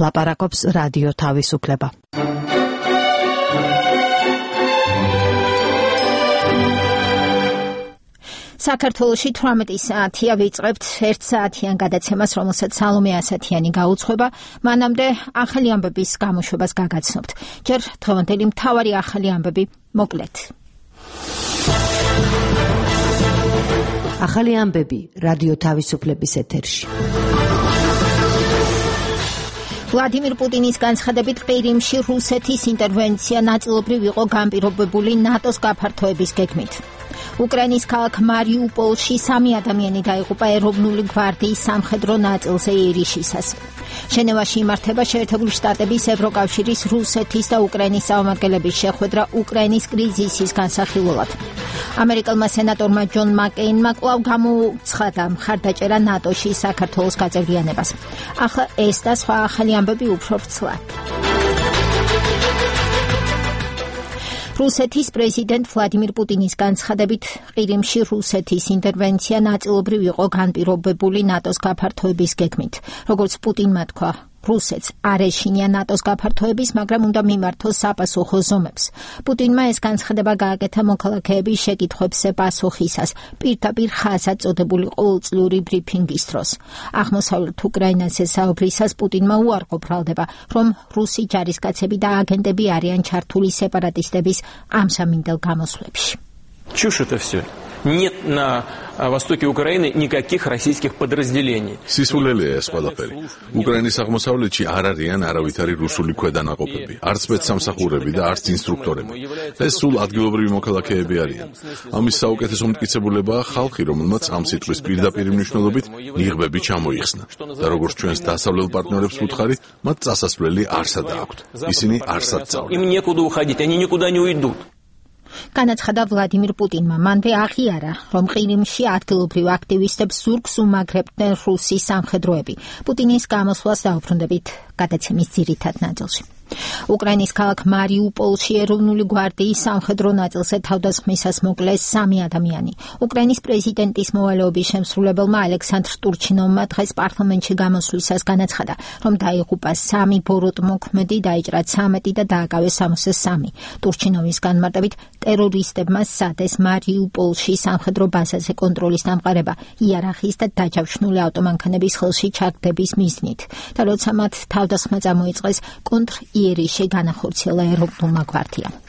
ლაპარაკობს რადიო თავისუფლება. საქართველოში 18 საათია ვიწყებთ 1 საათიან გადაცემას, რომელსაც სალომე ასათიანი გაუძღვება. მანამდე ახალი ამბების გამოშვებას გაგაცნობთ. ჯერ დღევანდელი მთავარი ახალი ამბები მოკლედ. ახალი ამბები რადიო თავისუფლების ეთერში. ვლადიმირ პუტინის განცხადებით ყირიმში რუსეთის ინტერვენცია ნაწილობრივ იყო განპირობებული ნატოს გაფართოების გეგმით. უკრაინის ქალაქ მარიუპოლში 3 ადამიანი დაიღუპა ეროვნული გვარდიის სამხედრო ნაწილზე იერიშისას. ჟენევაში იმართება შეერთებული შტატების, ევროკავშირის, რუსეთის და უკრაინის წარმომადგენლების შეხვედრა უკრაინის კრიზისის განსახილველად. ამერიკელმა სენატორმა ჯონ მაკეინმა კვლავ გამოუცხადა მხარდაჭერა ნატოში საქართველოს გაწევრიანებას. ახლა ეს და სხვა ახალი ამბები უფრო ვრცლად. რუსეთის პრეზიდენტ ვლადიმირ პუტინის განცხადებით ყირიმში რუსეთის ინტერვენცია ნაწილობრივ იყო განპირობებული ნატოს გაფართოების გეგმით. როგორც პუტინმა თქვა, რუსეთს არ ეშინია ნატოს გაფართოების, მაგრამ უნდა მიმართოს საპასუხო ზომებს. პუტინმა ეს განცხადება გააკეთა მოქალაქეების შეკითხვებზე პასუხისას, პირდაპირ ხაზად წოდებული ყოველწლიური ბრიფინგის დროს. აღმოსავლეთ უკრაინაზე საუბრისას პუტინმა უარყო ბრალდება, რომ რუსი ჯარისკაცები და აგენტები არიან ჩართული სეპარატისტების ამსამინდელ გამოსვლებში. Чушь это все. Нет на востоке Украины никаких российских подразделений. სისულელეა ეს ყველაფერი. უკრაინის აღმოსავლეთში არ არიან არავითარი რუსული ქვედანაყოფები, არც სპეცსამსახურები და არც ინსტრუქტორები. ეს სულ ადგილობრივი მოქალაქეები არიან. ამის საუკეთესო მტკიცებულებაა ხალხი, რომელმაც ამ სიტყვის პირდაპირ მნიშვნელობით ნიღბები ჩამოიხსნა. და როგორც ჩვენს დასავლელ პარტნიორებს ვუთხარი, მათ წასასვლელი არსად აქვთ. ისინი არსად წავდნენ. Им некуда уходить, они никуда не уйдут. განაცხადა ვლადიმირ პუტინმა. მანვე აღიარა, რომ ყირიმში ადგილობრივ აქტივისტებს ზურგს უმაგრებდნენ რუსი სამხედროები. პუტინის გამოსვლას დაუბრუნდებით გადაცემის ძირითად ნაწილში. უკრაინის ქალაქ მარიუპოლში ეროვნული გვარდიის სამხედრო ნაწილზე თავდასხმისას მოკლეს 3 ადამიანი. უკრაინის პრეზიდენტის მოვალეობის შემსრულებელმა ალექსანდრ ტურჩინოვმა დღეს პარლამენტში გამოსვლისას განაცხადა, რომ დაიღუპა 3 ბოროტმოქმედი, დაიჭრა 13 და დააკავეს 63. ტურჩინოვის განმარტებით ტერორისტებმა სადეს მარიუპოლში სამხედრო ბაზაზე კონტროლის დამყარება იარაღის და დაჯავშნული ავტომანქანების ხელში ჩაგდების მიზნით. და როცა მათ თავდასხმა წამოიწყეს, იერიშე განახორციელა ეროვნულმა გვარდიამ.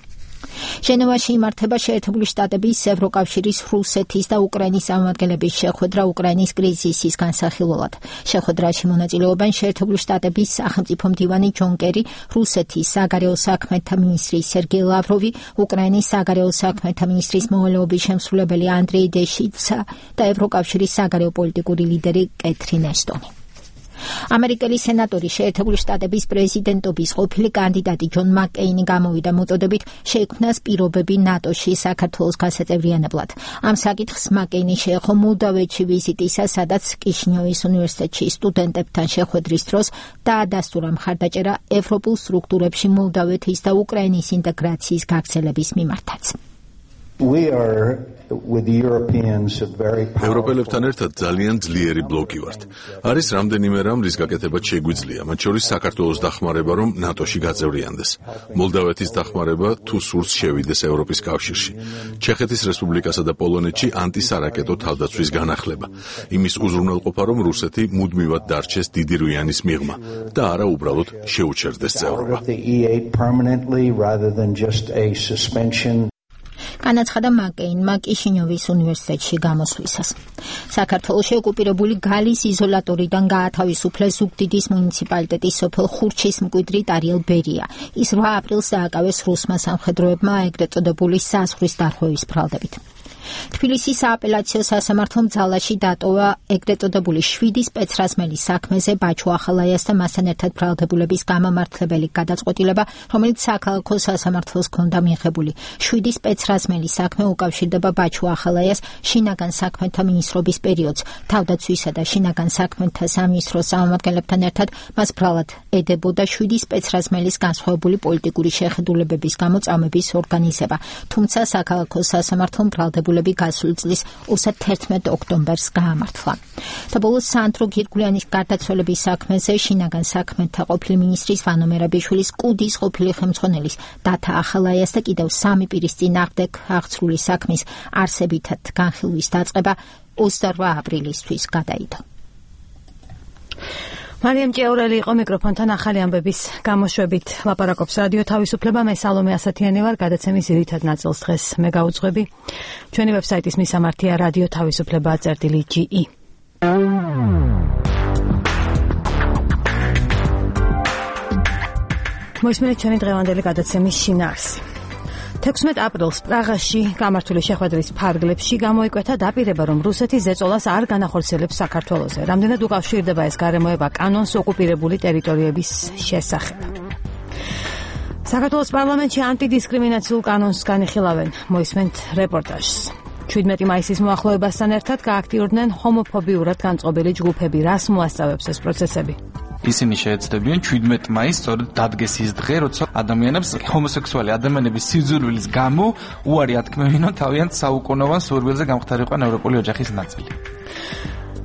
ჟენევაში იმართება შეერთებული შტატების, ევროკავშირის, რუსეთის და უკრაინის წარმომადგენლების შეხვედრა უკრაინის კრიზისის განსახილველად. შეხვედრაში მონაწილეობენ შეერთებული შტატების სახელმწიფო მდივანი ჯონ კერი, რუსეთის საგარეო საქმეთა მინისტრი სერგეი ლავროვი, უკრაინის საგარეო საქმეთა მინისტრის მოვალეობის შემსრულებელი ანდრეი დეშიცა და ევროკავშირის საგარეო პოლიტიკური ლიდერი კეთრინ აშტონი. ამერიკელი სენატორი შეერთებული შტატების პრეზიდენტობის ყოფილი კანდიდატი ჯონ მაკეინი გამოვიდა მოწოდებით შეიქმნას პირობები ნატოში საქართველოს გასაწევრიანებლად. ამ საკითხს მაკეინი შეეხო მოლდავეთში ვიზიტისას, სადაც კიშინიოვის უნივერსიტეტში სტუდენტებთან შეხვედრის დროს დაადასტურა მხარდაჭერა ევროპულ სტრუქტურებში მოლდავეთის და უკრაინის ინტეგრაციის გაგრძელების მიმართაც. ევროპელებთან ერთად ძალიან ძლიერი ბლოკი ვართ. არის რამდენიმე რამ, რის გაკეთებაც შეგვიძლია, მათ შორის საქართველოს დახმარება, რომ ნატოში გაწევრიანდეს. მოლდავეთის დახმარება, თუ სურს შევიდეს ევროპის კავშირში. ჩეხეთის რესპუბლიკასა და პოლონეთში ანტისარაკეტო თავდაცვის განახლება. იმის უზრუნველყოფა, რომ რუსეთი მუდმივად დარჩეს დიდი რვიანის მიღმა და არა უბრალოდ შეუჩერდეს წევრობა. განაცხადა მაკეინმა კიშინიოვის უნივერსიტეტში გამოსვლისას. საქართველოში ოკუპირებული გალის იზოლატორიდან გაათავისუფლეს ზუგდიდის მუნიციპალიტეტის სოფელ ხურჩის მკვიდრი ტარიელ ბერია. ის 8 აპრილს დააკავეს რუსმა სამხედროებმა ეგრეთ წოდებული საზღვრის დარღვევის ბრალდებით. თბილისის სააპელაციო სასამართლომ ძალაში დატოვა ეგრეთ წოდებული 7 სპეცრაზმელის საქმეზე ბაჩუ ახალაიას და მასთან ერთად ბრალდებულების გამამართლებელი გადაწყვეტილება, რომელიც საქალაქო სასამართლოს ჰქონდა მიღებული. 7 სპეცრაზმელის საქმე უკავშირდება ბაჩუ ახალაიას შინაგან საქმეთა მინისტრობის პერიოდს. თავდაცვისა და შინაგან საქმეთა სამინისტროს წარმომადგენლებთან ერთად მას ბრალად ედებოდა 7 სპეცრაზმელის განსხვავებული პოლიტიკური შეხედულებების გამო წამების ორგანიზება. თუმცა საქალაქო სასამართლომ ბრალდებულების მიმართულები გასული წლის 31 ოქტომბერს გაამართლა. და ბოლოს სანდრო გირგულიანის გარდაცვალების საქმეზე შინაგან საქმეთა ყოფილი მინისტრის ვანო მერაბიშვილის კუდის ყოფილი ხელმძღვანელის დათა ახალაიას და კიდევ 3 პირის წინააღმდეგ აღწრული საქმის არსებითად განხილვის დაწყება 28 აპრილისთვის გადაიდო. მარიამ ჭიაურელი იყო მიკროფონთან ახალი ამბების გამოშვებით. ლაპარაკობს რადიო თავისუფლება, მე სალომე ასათიანი ვარ, გადაცემის ძირითად ნაწილს დღეს მე გავუძღვები. ჩვენი ვებსაიტის მისამართია რადიო თავისუფლება.ge. მოისმინეთ ჩვენი დღევანდელი გადაცემის შინაარსი. 16 აპრილს პრაღაში გამართული შეხვედრის ფარგლებში გამოიკვეთა დაპირება, რომ რუსეთი ზეწოლას არ განახორციელებს საქართველოზე. რამდენად უკავშირდება ეს გარემოება კანონს ოკუპირებული ტერიტორიების შესახებ. საქართველოს პარლამენტში ანტიდისკრიმინაციულ კანონს განიხილავენ. მოისმენთ რეპორტაჟს. 17 მაისის მოახლოებასთან ერთად გააქტიურდნენ ჰომოფობიურად განწყობილი ჯგუფები. რას მოასწავებს ეს პროცესები? ისინი შეეცდებიან 17 მაისს სწორედ დადგეს ის დღე, როცა ადამიანებს ჰომოსექსუალი ადამიანების სიძულვილის გამო უარი ათქმევინონ თავიანთ საუკუნოვან სურვილზე გამختარიყო ევროპული ოჯახის ნაწილი.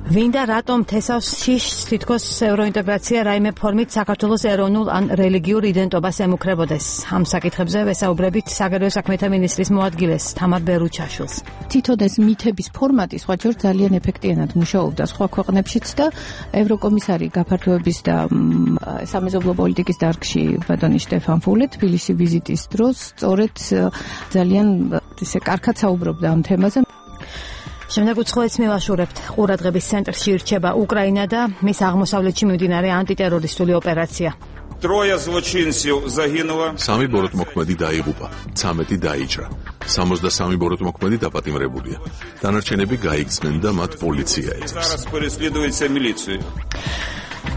ვინდა რატომ თესავს შიშს თითქოს ევროინტეგრაცია რაიმე ფორმით საქართველოს ეროვნულ ან რელიგიურ იდენტობას ემუქრებოდეს. ამ საკითხებზე ვესაუბრებით საგარეო საქმეთა მინისტრის მოადგილეს თამარ ბერუჩაშვილს. თვითონ ეს მითების ფორმატი სხვაჯერ ძალიან ეფექტიანად მუშაობდა სხვა ქვეყნებშიც და ევროკომისარი გაფართოების და სამეზობლო პოლიტიკის დარგში ბატონი შტეფან ფულე თბილისში ვიზიტის დროს სწორედ ძალიან ისე კარგად საუბრობდა ამ თემაზე. შემდეგ უცხოეთს მივაშურებთ. ყურადღების ცენტრში ირჩება უკრაინა და მის აღმოსავლეთში მიმდინარე ანტიტერორისტული ოპერაცია. Трое злочинцев загинуло. 3 ბოროტმოქმედი დაიღუპა, 13 დაიჭრა. 63 ბოროტმოქმედი დაპატიმრებულია. დანარჩენები გაიქცნენ და მათ პოლიცია ეძებს. Зараз переследуется милиция.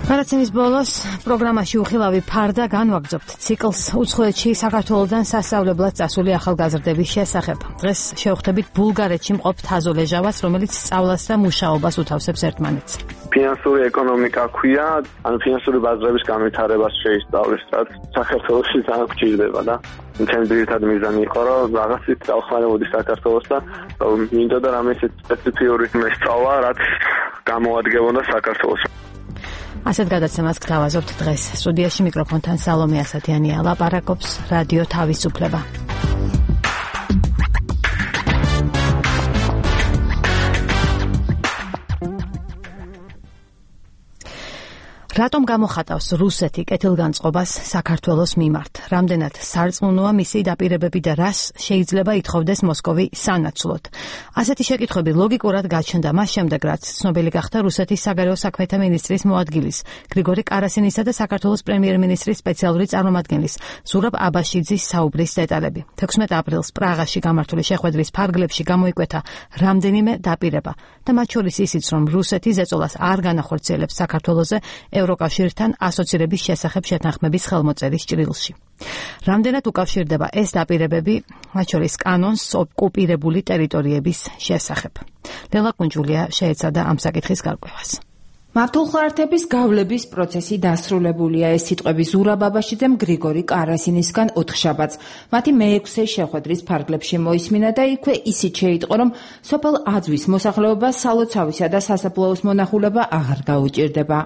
გადაცემის ბოლოს პროგრამაში უხილავი ფარდა განვაგრძობთ ციკლს უცხოეთში საქართველოდან სასწავლებლად წასული ახალგაზრდების შესახებ. დღეს შევხვდებით ბულგარეთში მყოფ თაზო ლეჟავას, რომელიც სწავლას და მუშაობას უთავსებს ერთმანეთს. ფინანსური ეკონომიკა ქვია, ანუ ფინანსური ბაზრების განვითარებას შეისწავლის, რაც საქართველოში ძალიან გვჭირდება და ჩემი ძირითადი მიზანი იყო, რომ რაღაცით დავხმარებოდი საქართველოს და მინდოდა რამე სპეციფიური მოსწავლა, რაც გამოადგებოდა საქართველოს. ასეთ გადაცემას გთავაზობთ დღეს. სტუდიაში მიკროფონთან სალომე ასათიანია, ლაპარაკობს რადიო თავისუფლება. რატომ გამოხატავს რუსეთი კეთილგანწყობას საქართველოს მიმართ? რამდენად სარწმუნოა მისი დაპირებები და რას შეიძლება ითხოვდეს მოსკოვი სანაცვლოდ? ასეთი შეკითხვები ლოგიკურად გაჩნდა მას შემდეგ, რაც ცნობილი გახდა რუსეთის საგარეო საქმეთა მინისტრის მოადგილის გრიგორი კარასინისა და საქართველოს პრემიერ-მინისტრის სპეციალური წარმომადგენლის ზურაბ აბაშიძის საუბრის დეტალები. 16 აპრილს პრაღაში გამართული შეხვედრის ფარგლებში გამოიკვეთა რამდენიმე დაპირება და მათ შორის ისიც, რომ რუსეთი ზეწოლას არ განახორციელებს საქართველოზე ევროკავშირთან ასოცირების შესახებ შეთანხმების ხელმოწერის ჭრილში. რამდენად უკავშირდება ეს დაპირებები, მათ შორის კანონს ოკუპირებული ტერიტორიების შესახებ? ლელა კუნჯულია შეეცადა ამ საკითხის გარკვევას. მავთულხარათების გავლების პროცესი დასრულებულია. ეს სიტყვები ზურაბ აბაშიძემ გრიგორი კარასინისგან ოთხშაბათს მათი მე-6 შეხვედრის ფარგლებში მოისმინა და იქვე ისიც შეიტყო, რომ სოფელ აძვის მოსახლეობა სალოცავისა და სასაფლაოს მონახულება აღარ გაუჭირდება.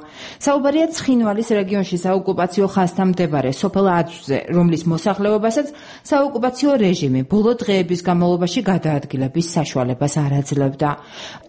საუბარია ცხინვალის რეგიონში საოკუპაციო ხაზთან მდებარე სოფელ აძვზე, რომლის მოსახლეობასაც საოკუპაციო რეჟიმი ბოლო დღეების განმავლობაში გადაადგილების საშუალებას არ აძლევდა.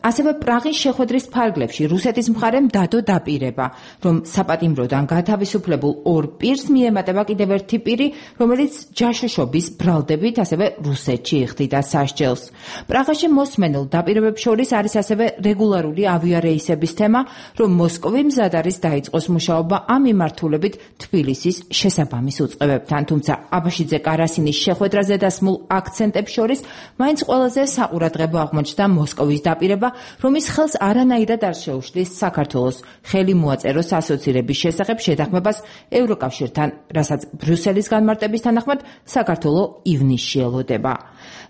ასევე პრაღის შეხვედრის ფარგლებში რუსეთის მხარემ დადო დაპირება, რომ საპატიმროდან გათავისუფლებულ ორ პირს მიემატება კიდევ ერთი პირი, რომელიც ჯაშოშობის ბრალდებით ასევე რუსეთში იხდიდა სასჯელს. პრაღაში მოსმენილ დაპირებებს შორის არის ასევე რეგულარული ავიარეისების თემა, რომ მოსკოვი მზად არის დაიწყოს მუშაობა ამ მიმართულებით თბილისის შესაბამის უწყებებთან. თუმცა აბაშიძე კარასინის შეხვედრაზე დასმულ აქცენტებს შორის მაინც ყველაზე საყურადღებო აღმოჩნდა მოსკოვის დაპირება, რომის ხელს არანაირად არ შეუშლის საქართველოს ხელი მოაწეროს ასოცირების შესახებ შეთანხმებას ევროკავშირთან, რასაც ბრიუსელის განმარტების თანახმად საქართველო ივნისში ელოდება.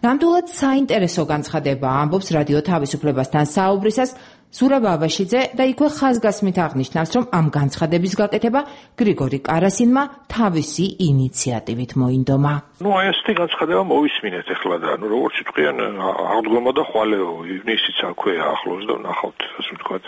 ნამდვილად საინტერესო განცხადება ამბობს რადიო თავისუფლებასთან საუბრისას ზურაბ აბაშიძე და იქვე ხაზგასმით აღნიშნავს, რომ ამ განცხადების გაკეთება გრიგორი კარასინმა თავისი ინიციატივით მოინდომა. აი ასეთი განცხადება მოვისმინეთ ახლა და როგორც თქვენ აღდგომა და ხვალეო ივნისიც აქვე ახლოს და ნახავთ ასე ვთქვათ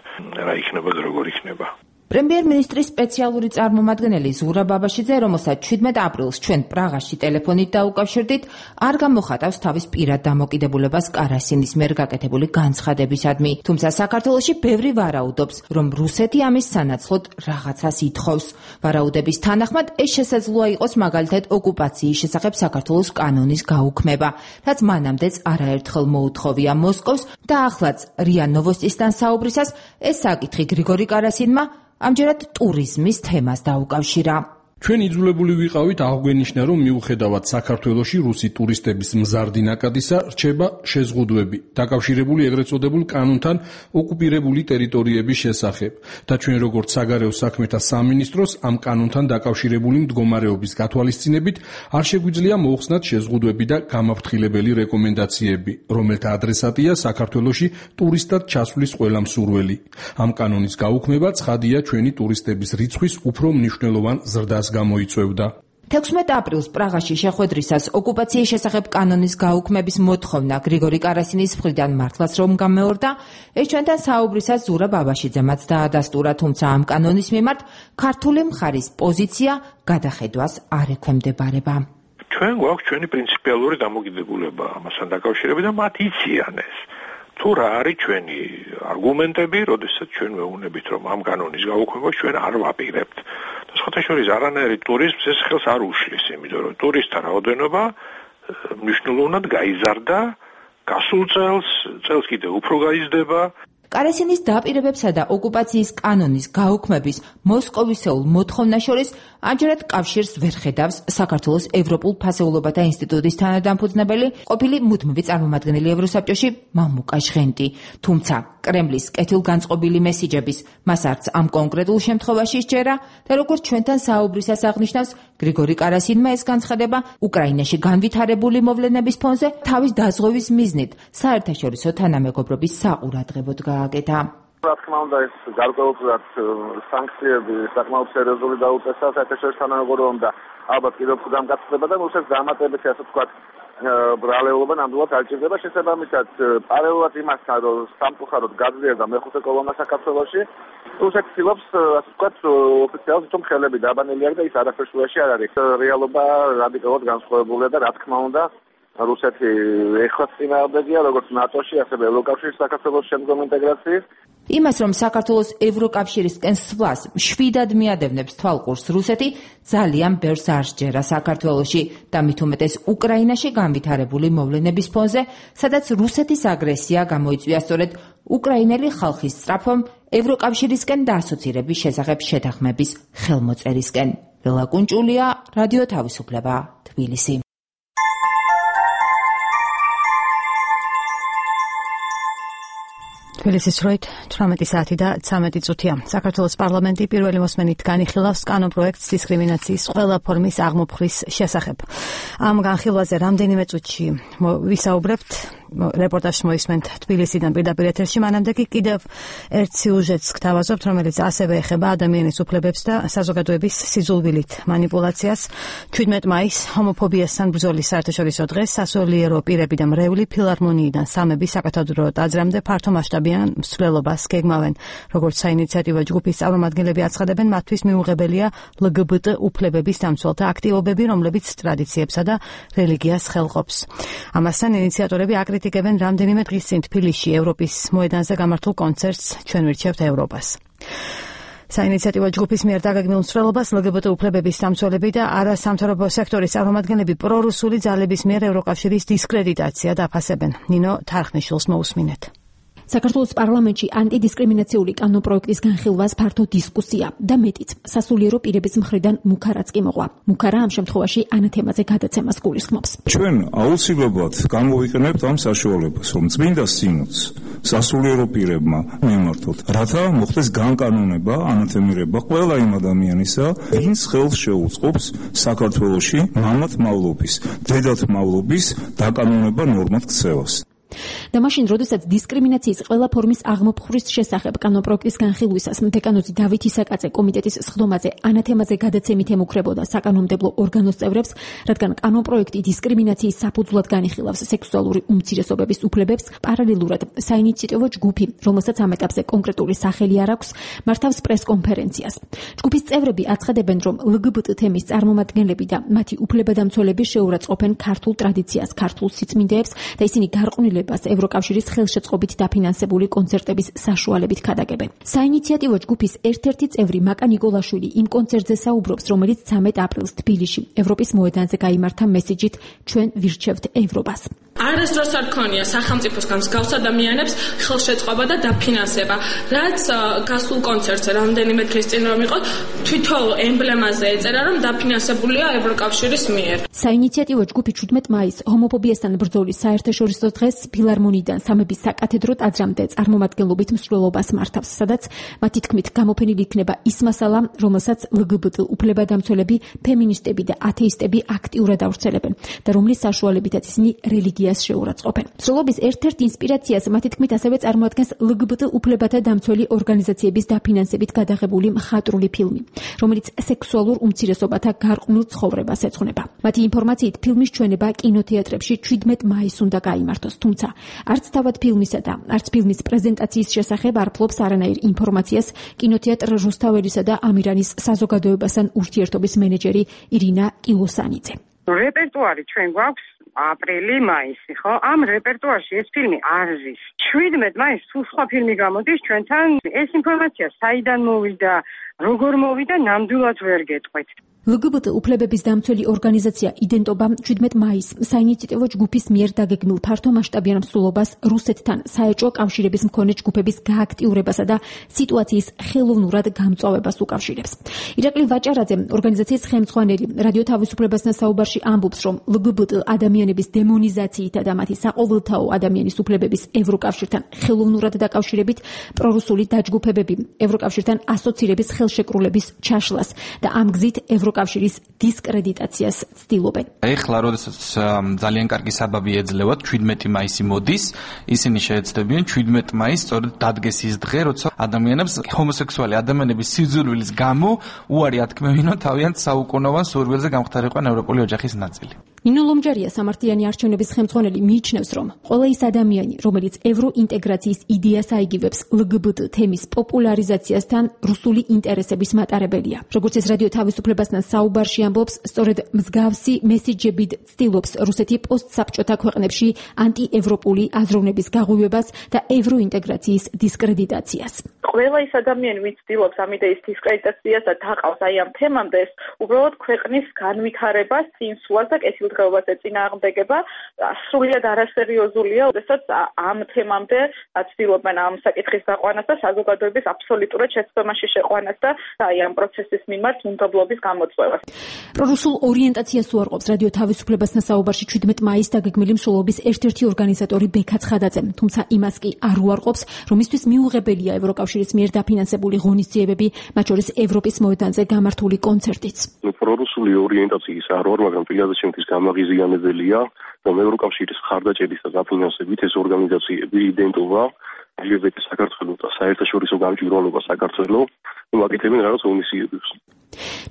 რა იქნება და როგორ იქნება. პრემიერ-მინისტრის სპეციალური წარმომადგენელი ზურაბ აბაშიძე, რომელსაც 17 აპრილს ჩვენ პრაღაში ტელეფონით დაუკავშირდით, არ გამოხატავს თავის პირად დამოკიდებულებას კარასინის მიერ გაკეთებული განცხადებისადმი. თუმცა საქართველოში ბევრი ვარაუდობს, რომ რუსეთი ამის სანაცვლოდ რაღაცას ითხოვს. ვარაუდების თანახმად ეს შესაძლოა იყოს მაგალითად ოკუპაციის შესახებ საქართველოს კანონის გაუქმება, რაც მანამდეც არაერთხელ მოუთხოვია მოსკოვს და ახლაც რია ნოვოსტისთან საუბრისას ეს საკითხი გრიგორი კარასინმა ამჯერად ტურიზმის თემას დაუკავშირა. ჩვენ იძულებული ვიყავით აღგვენიშნა, რომ მიუხედავად საქართველოში რუსი ტურისტების მზარდი ნაკადისა რჩება შეზღუდვები, დაკავშირებული ეგრეთ წოდებულ კანონთან ოკუპირებული ტერიტორიების შესახებ და ჩვენ როგორც საგარეო საქმეთა სამინისტროს ამ კანონთან დაკავშირებული მდგომარეობის გათვალისწინებით არ შეგვიძლია მოუხსნათ შეზღუდვები და გამაფრთხილებელი რეკომენდაციები, რომელთა ადრესატია საქართველოში ტურისტად ჩასვლის ყველა მსურველი. ამ კანონის გაუქმება ცხადია ჩვენი ტურისტების რიცხვის უფრო მნიშვნელოვან ზრდას გამოიწვევდა. 16 აპრილს პრაღაში შეხვედრისას ოკუპაციის შესახებ კანონის გაუქმების მოთხოვნა გრიგორი კარასინის მხრიდან მართლაც რომ გამეორდა, ეს ჩვენთან საუბრისას ზურაბ აბაშიძემაც დაადასტურა, თუმცა ამ კანონის მიმართ ქართული მხარის პოზიცია გადახედვას არ ექვემდებარება. ჩვენ გვაქვს ჩვენი პრინციპიალური დამოკიდებულება ამასთან დაკავშირებით და მათ იციან ეს. თუ რა არის ჩვენი არგუმენტები, როდესაც ჩვენ ვეუბნებით, რომ ამ კანონის გაუქმებას ჩვენ არ ვაპირებთ. სხვათა შორის არანაირი ტურიზმს ეს ხელს არ უშლის, იმიტომ რომ ტურისტთა რაოდენობა მნიშვნელოვნად გაიზარდა, გასულ წელს კიდევ უფრო გაიზრდება. კარასინის დაპირებებსა და ოკუპაციის კანონის გაუქმების მოსკოვისეულ მოთხოვნას შორის ამჯერად კავშირს ვერ ხედავს საქართველოს ევროპულ ფასეულობათა ინსტიტუტის თანადამფუძნებელი, ყოფილი მუდმივი წარმომადგენელი ევროსაბჭოში მამუკა ჟღენტი. თუმცა კრემლის კეთილგანწყობილი მესიჯების მას არც ამ კონკრეტულ შემთხვევაში სჯერა და როგორც ჩვენთან საუბრისას აღნიშნავს, გრიგორი კარასინმა ეს განცხადება უკრაინაში განვითარებული მოვლენების ფონზე თავის დაზღვევის მიზნით საერთაშორისო თანამეგობრობის საყურადღებოდ გააკეთა. რა თქმა უნდა, ეს გარკვეულწილად სანქციები საკმაოდ სერიოზული დაუწესა საერთაშორისო თანამეგობრობამ და ალბათ კიდევ უფრო დამკაცდება და რუსეთს დამატებითი ასე ვთქვათ ბრალეულობა ნამდვილად არ ჭირდება. შესაბამისად, პარალელურად იმასთან, რომ სამწუხაროდ გაძლიერდა მეხუთე კოლონა საქართველოში, რუსეთი ცდილობს ასე ვთქვათ ოფიციალურად თვითონ ხელები დაბანელი არის და ის არაფერს უეში არ არის. რეალობა რადიკალურად განსხვავებულია და რა თქმა უნდა რუსეთი ეხლაც წინააღმდეგია როგორც ნატოში, ასევე ევროკავშირის საქართველოს შემდგომ ინტეგრაციის. იმას, რომ საქართველოს ევროკავშირისკენ სვლას მშვიდად მიადევნებს თვალყურს რუსეთი, ძალიან ბევრს არ სჯერა საქართველოში და მით უმეტეს უკრაინაში განვითარებული მოვლენების ფონზე, სადაც რუსეთის აგრესია გამოიწვია სწორედ უკრაინელი ხალხის სწრაფომ ევროკავშირისკენ დაასოცირების შესახებ შეთანხმების ხელმოწერისკენ. ბელა კუნჭულია, რადიო თავისუფლება, თბილისი. თბილისის დროით 18 საათი და 13 წუთია. საქართველოს პარლამენტი პირველი მოსმენით განიხილავს კანონპროექტს დისკრიმინაციის ყველა ფორმის აღმოფხრის შესახებ. ამ განხილვაზე რამდენიმე წუთში ვისაუბრებთ, რეპორტაჟს მოისმენთ თბილისიდან პირდაპირ ეთერში, მანამდე კი კიდევ ერთ სიუჟეტს გთავაზობთ, რომელიც ასევე ეხება ადამიანის უფლებებს და საზოგადოების სიძულვილით მანიპულაციას. 17 მაისს ჰომოფობიასთან ბრძოლის საერთაშორისო დღეს სასულიერო პირები და მრევლი ფილარმონიიდან სამები საკათედრო ტაძრამდე ფართო მასშტაბიან მსვლელობას გეგმავენ. როგორც საინიციატივო ჯგუფის წარმომადგენლები აცხადებენ, მათთვის მიუღებელია LGBT უფლებების დამცველთა აქტივობები, რომლებიც ტრადიციებსა და რელიგიას ხელყოფს. ამასთან ინიციატორები აკრიტიკებენ რამდენიმე დღის წინ თბილისში ევროპის მოედანზე გამართულ კონცერტს ჩვენ ვირჩევთ ევროპას. საინიციატივო ჯგუფის მიერ დაგეგმილ მსვლელობას LGBT უფლებების დამცველები და არასამთავრობო სექტორის წარმომადგენლები პრორუსული ძალების მიერ ევროკავშირის დისკრედიტაცია დაფასებენ. ნინო თარხნიშვილს მოусმინეთ. საქართველოს პარლამენტში ანტიდისკრიმინაციული კანონპროექტის განხილვას ფართო დისკუსია და მეტიც სასულიერო პირების მხრიდან მუქარაც კი მოყვა. მუქარა ამ შემთხვევაში ანა თემაზე გადაცემას გულისხმობს. ჩვენ აუცილებლად გამოვიყენებთ ამ საშუალებას, რომ წმინდა სინოდს სასულიერო პირებმა მიმართოთ, რათა მოხდეს განკანონება, ანათემირება ყველა იმ ადამიანისა, ვინც ხელს შეუწყობს საქართველოში მამად მავლობის, დედად მავლობის დაკანონება ნორმად ქცევას. და მაშინ, როდესაც დისკრიმინაციის ყველა ფორმის აღმოფხვრის შესახებ კანონპროექტის განხილვისას დეკანოზი დავით ისაკაძე კომიტეტის სხდომაზე ანათემაზე გადაცემით ემუქრებოდა საკანონმდებლო ორგანოს წევრებს, რადგან კანონპროექტი დისკრიმინაციის საფუძვლად განიხილავს სექსუალური უმცირესობების უფლებებს, პარალელურად საინიციატივო ჯგუფი, რომელსაც ამ ეტაპზე კონკრეტული სახელი არ აქვს, მართავს პრესკონფერენციას. ჯგუფის წევრები აცხადებენ, რომ LGBT თემის წარმომადგენლები და მათი უფლებადამცველები შეურაცხყოფენ ქართულ ტრადიციას, ქართულ სიწმინდეებს და ისინი გარყვნილებას ევროკავშირის ხელშეწყობით დაფინანსებული კონცერტების საშუალებით ქადაგებენ. საინიციატივო ჯგუფის ერთ-ერთი წევრი მაკა ნიკოლაშვილი იმ კონცერტზე საუბრობს, რომელიც 13 აპრილს თბილისში ევროპის მოედანზე გაიმართა მესიჯით ჩვენ ვირჩევთ ევროპას. არასდროს არ ქონია სახელმწიფოსგან მსგავს ადამიანებს ხელშეწყობა და დაფინანსება, რაც გასულ კონცერტზე რამდენიმე დღის წინ რომ იყო, თვითონ ემბლემაზე ეწერა, რომ დაფინანსებულია ევროკავშირის მიერ. საინიციატივო ჯგუფი 17 მაისს ჰომოფობიასთან ბრძოლის საერთაშორისო დღეს ფილარმონიიდან სამების საკათედრო ტაძრამდე წარმომადგენლობით მსვლელობას მართავს, სადაც მათი თქმით გამოფენილი იქნება ის მასალა, რომელსაც LGBT უფლებადამცველები, ფემინისტები და ათეისტები აქტიურად ავრცელებენ და რომლის საშუალებითაც ისინი რელიგიას შეურაცხყოფენ. მსვლელობის ერთ-ერთ ინსპირაციას მათი თქმით ასევე წარმოადგენს LGBT უფლებათა დამცველი ორგანიზაციების დაფინანსებით გადაღებული მხატვრული ფილმი, რომელიც სექსუალურ უმცირესობათა გარყვნილ ცხოვრებას ეძღვნება. მათი ინფორმაციით ფილმის ჩვენება კინოთეატრებში 17 მაისს უნდა გაიმართოს, თუმცა არც თავად ფილმისა და არც ფილმის პრეზენტაციის შესახებ არ ფლობს არანაირ ინფორმაციას კინოთეატრ რუსთაველისა და ამირანის საზოგადოებასთან ურთიერთობის მენეჯერი ირინა კილოსანიძე. რეპერტუარი ჩვენ გვაქვს აპრილი, მაისი, ხო? ამ რეპერტუარში ეს ფილმი არ არის. 17 მაისს თუ სხვა ფილმი გამოდის ჩვენთან, ეს ინფორმაცია საიდან მოვიდა, როგორ მოვიდა, ნამდვილად ვერ გეტყვით. LGBT უფლებების დამცველი ორგანიზაცია იდენტობა 17 მაისს საინიციატივო ჯგუფის მიერ დაგეგმილ ფართო მასშტაბიან მსვლელობას რუსეთთან საეჭვო კავშირების მქონე ჯგუფების გააქტიურებასა და სიტუაციის ხელოვნურად გამწვავებას უკავშირებს. ირაკლი ვაჭარაძე, ორგანიზაციის ხელმძღვანელი, რადიო თავისუფლებასთან საუბარში ამბობს, რომ LGBT ადამიანების დემონიზაციითა და მათი საყოველთაო ადამიანის უფლებების ევროკავშირთან ხელოვნურად დაკავშირებით პრორუსული დაჯგუფებები ევროკავშირთან ასოცირების ხელშეკრულების ჩაშლას და ამ გზით ევროკავშირის დისკრედიტაციას ცდილობენ. ეხლა როდესაც ძალიან კარგი საბაბი ეძლევათ 17 მაისი მოდის, ისინი შეეცდებიან 17 მაისს სწორედ დადგეს ის დღე, როცა ადამიანებს ჰომოსექსუალი ადამიანების სიძულვილის გამო უარი ათქმევინო თავიანთ საუკუნოვან სურვილზე გამختარიყვან ევროპული ოჯახის ნაწილი. ნინო ლომჯარია სამართლიანი არჩევნების ხელმძღვანელი მიიჩნევს, რომ ყველა ის ადამიანი, რომელიც ევროინტეგრაციის იდეას აიგივებს LGBT თემის პოპულარიზაციასთან რუსული ინტერესების მატარებელია. როგორც ეს რადიო თავისუფლებასთან საუბარში ამბობს, სწორედ მსგავსი მესიჯებით ცდილობს რუსეთი პოსტსაბჭოთა ქვეყნებში ანტიევროპული აზროვნების გაღვივებას და ევროინტეგრაციის დისკრედიტაციას. ყველა ის ადამიანი, ვინც ცდილობს ამ იდეის დისკრედიტაციას და დაყავს აი ამ თემამდე, ეს უბრალოდ ქვეყნის განვითარებას, წინსვლას და კეთილდღეობას ეწინააღმდეგება, სრულიად არასერიოზულია, როდესაც ამ თემამდე ცდილობენ ამ საკითხის გაყვანას და საზოგადოების აბსოლუტურად შეცდომაში შეყვანას და აი ამ პროცესის მიმართ უნდობლობის გამოწვევას. პრორუსულ ორიენტაციას უარყოფს რადიო თავისუფლებასთან საუბარში 17 მაისს დაგეგმილი მსვლელობის ერთ-ერთი ორგანიზატორი ბექა ცხადაძე, თუმცა იმას კი არ უარყოფს, რომ მისთვის მიუღებელია ევროკავშირის მიერ დაფინანსებული ღონისძიებები, მათ შორის ევროპის მოედანზე გამართული კონცერტიც. პრორუსული ორიენტაციის არ ვარ, მაგრამ პირადად ჩემთვის გამაღიზიანებელია, რომ ევროკავშირის ხარდაჭერით და დაფინანსებით ეს ორგანიზაციები იდენტობა LGBT საქართველოს და საერთაშორისო გამჭვირვალობა საქართველოს მოგაკეთებენ რაღაც ღონისძიებებს.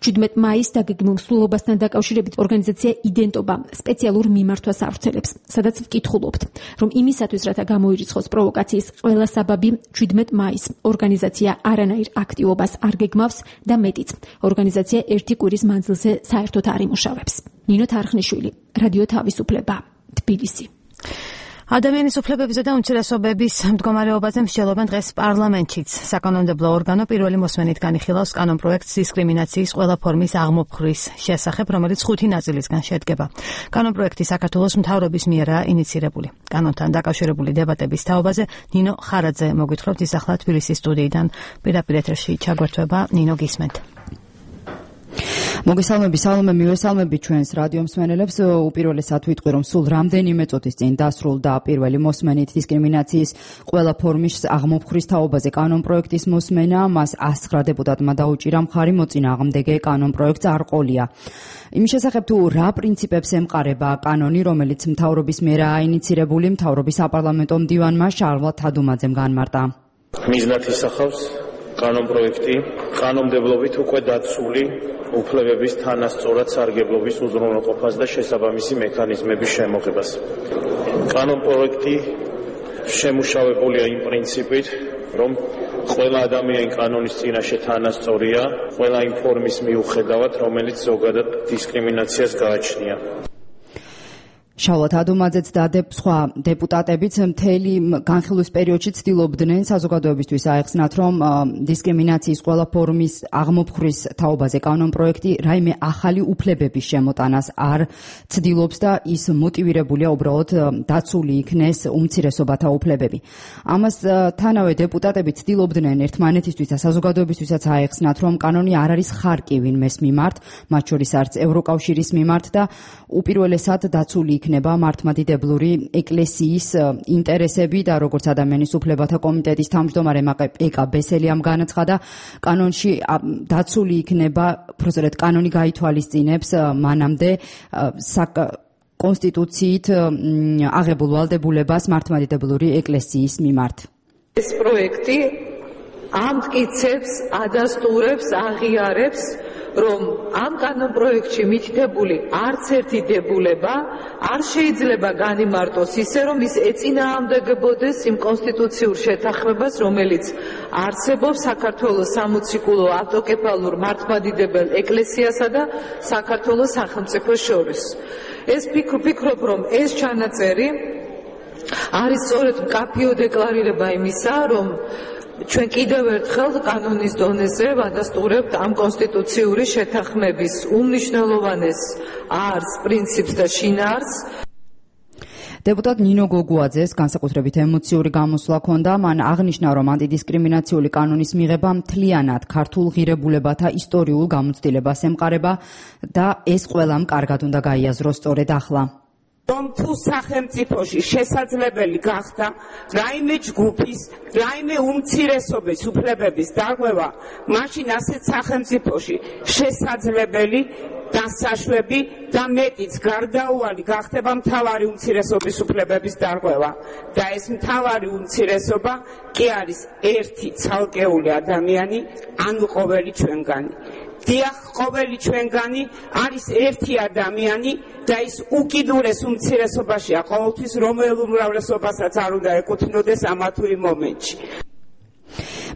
17 მაისს დაგეგმილ მსვლელობასთან დაკავშირებით ორგანიზაცია იდენტობა სპეციალურ მიმართვას ავრცელებს, სადაც ვკითხულობთ, რომ იმისათვის, რათა გამოირიცხოს პროვოკაციის ყველა საბაბი, 17 მაისს ორგანიზაცია არანაირ აქტივობას არ გეგმავს და მეტიც, ორგანიზაცია ერთი კვირის მანძილზე საერთოდ არ იმუშავებს. ნინო თარხნიშვილი, რადიო თავისუფლება, თბილისი. ადამიანის უფლებებისა და უმცირესობების მდგომარეობაზე მსჯელობენ დღეს პარლამენტშიც. საკანონმდებლო ორგანო პირველი მოსმენით განიხილავს კანონპროექტს დისკრიმინაციის ყველა ფორმის აღმოფხრის შესახებ, რომელიც 5 ნაწილისგან შედგება. კანონპროექტი საქართველოს მთავრობის მიერაა ინიცირებული. კანონთან დაკავშირებული დებატების თაობაზე ნინო ხარაძე მოგვითხრობთ, ის ახლა თბილისის სტუდიიდან პირდაპირ ეთერში ჩაგვერთვება. ნინო, გისმენთ. მოგესალმები, სალომე, მივესალმები ჩვენს რადიო მსმენელებს. უპირველესად ვიტყვი, რომ სულ რამდენიმე წუთის წინ დასრულდა პირველი მოსმენით დისკრიმინაციის ყველა ფორმის აღმოფხვრის თაობაზე კანონპროექტის მოსმენა. მას 109 დეპუტატმა დაუჭირა მხარი მოწინააღმდეგე კანონპროექტს არ ყოლია. იმის შესახებ თუ რა პრინციპებს ემყარება კანონი, რომელიც მთავრობის მიერ აინიცირებული მთავრობის საპარლამენტო მდივანმა შარლ თადუმაძემ განმარტა. მიზნად ისახავს კანონპროექტი კანონმდებლობით უკვე დაცული უფლებების თანასწორად სარგებლობის უზრუნველყოფას და შესაბამისი მექანიზმების შემოღებას. კანონპროექტი შემუშავებულია იმ პრინციპით, რომ ყველა ადამიანი კანონის წინაშე თანასწორია, ყველა იმ ფორმის მიუხედავად, რომელიც ზოგადად დისკრიმინაციას გააჩნია. შარლ თადუმაძეც და სხვა დეპუტატებიც მთელი განხილვის პერიოდში ცდილობდნენ საზოგადოებისთვის აეხსნათ, რომ დისკრიმინაციის ყველა ფორმის აღმოფხვრის თაობაზე კანონპროექტი რაიმე ახალი უფლებების შემოტანას არ ცდილობს და ის მოტივირებულია უბრალოდ დაცული იქნეს უმცირესობათა უფლებები. ამასთანავე დეპუტატები ცდილობდნენ ერთმანეთისთვის და საზოგადოებისთვისაც აეხსნათ, რომ კანონი არ არის ხარკი ვინმეს მიმართ, მათ შორის არც ევროკავშირის მიმართ და უპირველესად დაცული იქნება მართლმადიდებლური ეკლესიის ინტერესები და როგორც ადამიანის უფლებათა კომიტეტის თავმჯდომარე ეკა ბესელიამ განაცხადა, კანონში დაცული იქნება, პროცედურით კანონი გაითვალისწინებს მანამდე კონსტიტუციით აღებულ ვალდებულებას მართლმადიდებლური ეკლესიის მიმართ. ეს პროექტი ამტკიცებს, ადასტურებს, აღიარებს, რომ ამ კანონპროექტში მითითებული არც ერთი დებულება არ შეიძლება განიმარტოს ისე, რომ ის ეწინააღმდეგებოდეს იმ კონსტიტუციურ შეთანხმებას, რომელიც არსებობს საქართველოს სამოციქულო ავტოკეფალურ მართლმადიდებელ ეკლესიასა და საქართველოს სახელმწიფოს შორის. ეს ვფიქრობ, რომ ეს ჩანაწერი არის სწორედ მკაფიო დეკლარირება იმისა, რომ ჩვენ კიდევ ერთხელ კანონის დონეზე ვადასტურებთ ამ კონსტიტუციური შეთანხმების უმნიშვნელოვანეს არს, პრინციპს და შინაარსს. დეპუტატ ნინო გოგუაძეს განსაკუთრებით ემოციური გამოსვლა ჰქონდა. მან აღნიშნა, რომ ანტიდისკრიმინაციული კანონის მიღება მთლიანად ქართულ ღირებულებათა ისტორიულ გამოცდილებას ემყარება და ეს ყველამ კარგად უნდა გაიაზროს სწორედ ახლა. რომ თუ სახელმწიფოში შესაძლებელი გახდა რაიმე ჯგუფის, რაიმე უმცირესობის უფლებების დარღვევა, მაშინ ასეთ სახელმწიფოში შესაძლებელი დასაშვები და მეტიც გარდაუვალი გახდება მთავარი უმცირესობის უფლებების დარღვევა. და ეს მთავარი უმცირესობა კი არის ერთი ცალკეული ადამიანი, ანუ ყოველი ჩვენგანი. დიახ, ყოველი ჩვენგანი არის ერთი ადამიანი და ის უკიდურეს უმცირესობაშია ყოველთვის, რომელ უმრავლესობასაც არ უნდა ეკუთვნოდეს ამა თუ იმ მომენტში.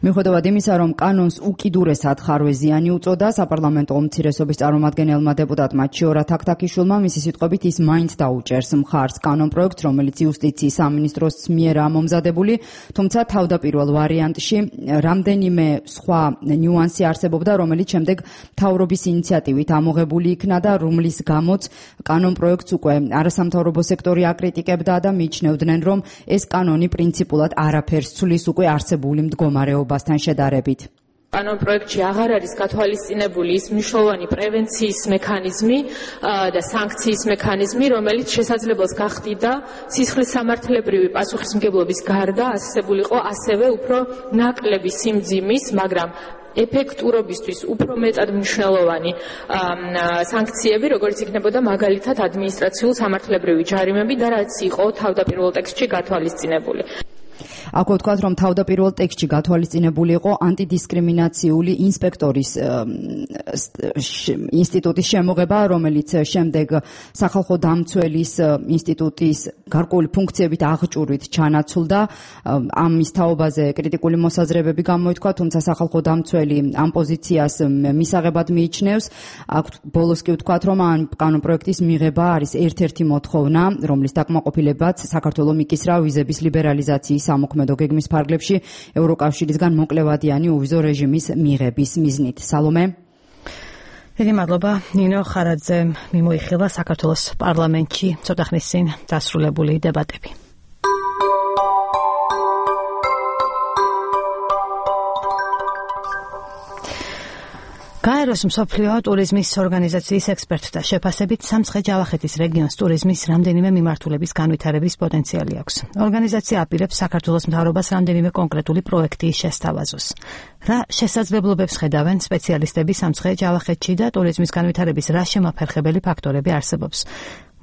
მიუხედავად იმისა, რომ კანონს უკიდურესად ხარვეზიანი უწოდა, საპარლამენტო უმცირესობის წარმომადგენელმა დეპუტატმა ჩიორა თაქთაქიშვილმა მისი სიტყვებით ის მაინც დაუჭერს მხარს კანონპროექტს, რომელიც იუსტიციის სამინისტროს მიერაა მომზადებული, თუმცა თავდაპირველ ვარიანტში რამდენიმე სხვა ნიუანსი არსებობდა, რომელიც შემდეგ მთავრობის ინიციატივით ამოღებული იქნა და რომლის გამოც კანონპროექტს უკვე არასამთავრობო სექტორი აკრიტიკებდა და მიიჩნევდნენ, რომ ეს კანონი პრინციპულად არაფერს ცვლის უკვე არსებული მდგომარეობასთან შედარებით. კანონპროექტში აღარ არის გათვალისწინებული ის მნიშვნელოვანი პრევენციის მექანიზმი და სანქციის მექანიზმი, რომელიც შესაძლებელს გახდიდა სისხლის სამართლებრივი პასუხისმგებლობის გარდა ასებულიყო ასევე უფრო ნაკლები სიმძიმის, მაგრამ ეფექტურობისთვის უფრო მეტად მნიშვნელოვანი სანქციები, როგორც იქნებოდა მაგალითად ადმინისტრაციულ სამართლებრივი ჯარიმები და რაც იყო თავდაპირველ ტექსტში გათვალისწინებული. აქვე ვთქვათ, რომ თავდაპირველ ტექსტში გათვალისწინებული იყო ანტიდისკრიმინაციული ინსპექტორის ინსტიტუტის შემოღება, რომელიც შემდეგ სახალხო დამცველის ინსტიტუტის გარკვეული ფუნქციებით აღჭურვით ჩანაცვლდა. ამის თაობაზე კრიტიკული მოსაზრებები გამოითქვა, თუმცა სახალხო დამცველი ამ პოზიციას მისაღებად მიიჩნევს. ბოლოს კი ვთქვათ, რომ ამ კანონპროექტის მიღება არის ერთ-ერთი მოთხოვნა, რომლის დაკმაყოფილებაც საქართველოს მიკისრა ვიზების ლიბერალიზაციის სამოქმედო გეგმის ფარგლებში ევროკავშირისგან მოკლევადიანი უვიზო რეჟიმის მიღების მიზნით. სალომე. დიდი მადლობა ნინო ხარაძემ მიმოიხილა საქართველოს პარლამენტში ცოტა ხნის წინ დასრულებული დებატები. გაეროს მსოფლიო ტურიზმის ორგანიზაციის ექსპერტთა შეფასებით სამცხე-ჯავახეთის რეგიონს ტურიზმის რამდენიმე მიმართულების განვითარების პოტენციალი აქვს. ორგანიზაცია აპირებს საქართველოს მთავრობას რამდენიმე კონკრეტული პროექტის შესთავაზოს. რა შესაძლებლობებს ხედავენ სპეციალისტები სამცხე-ჯავახეთში და ტურიზმის განვითარების რა შემაფერხებელი ფაქტორები არსებობს?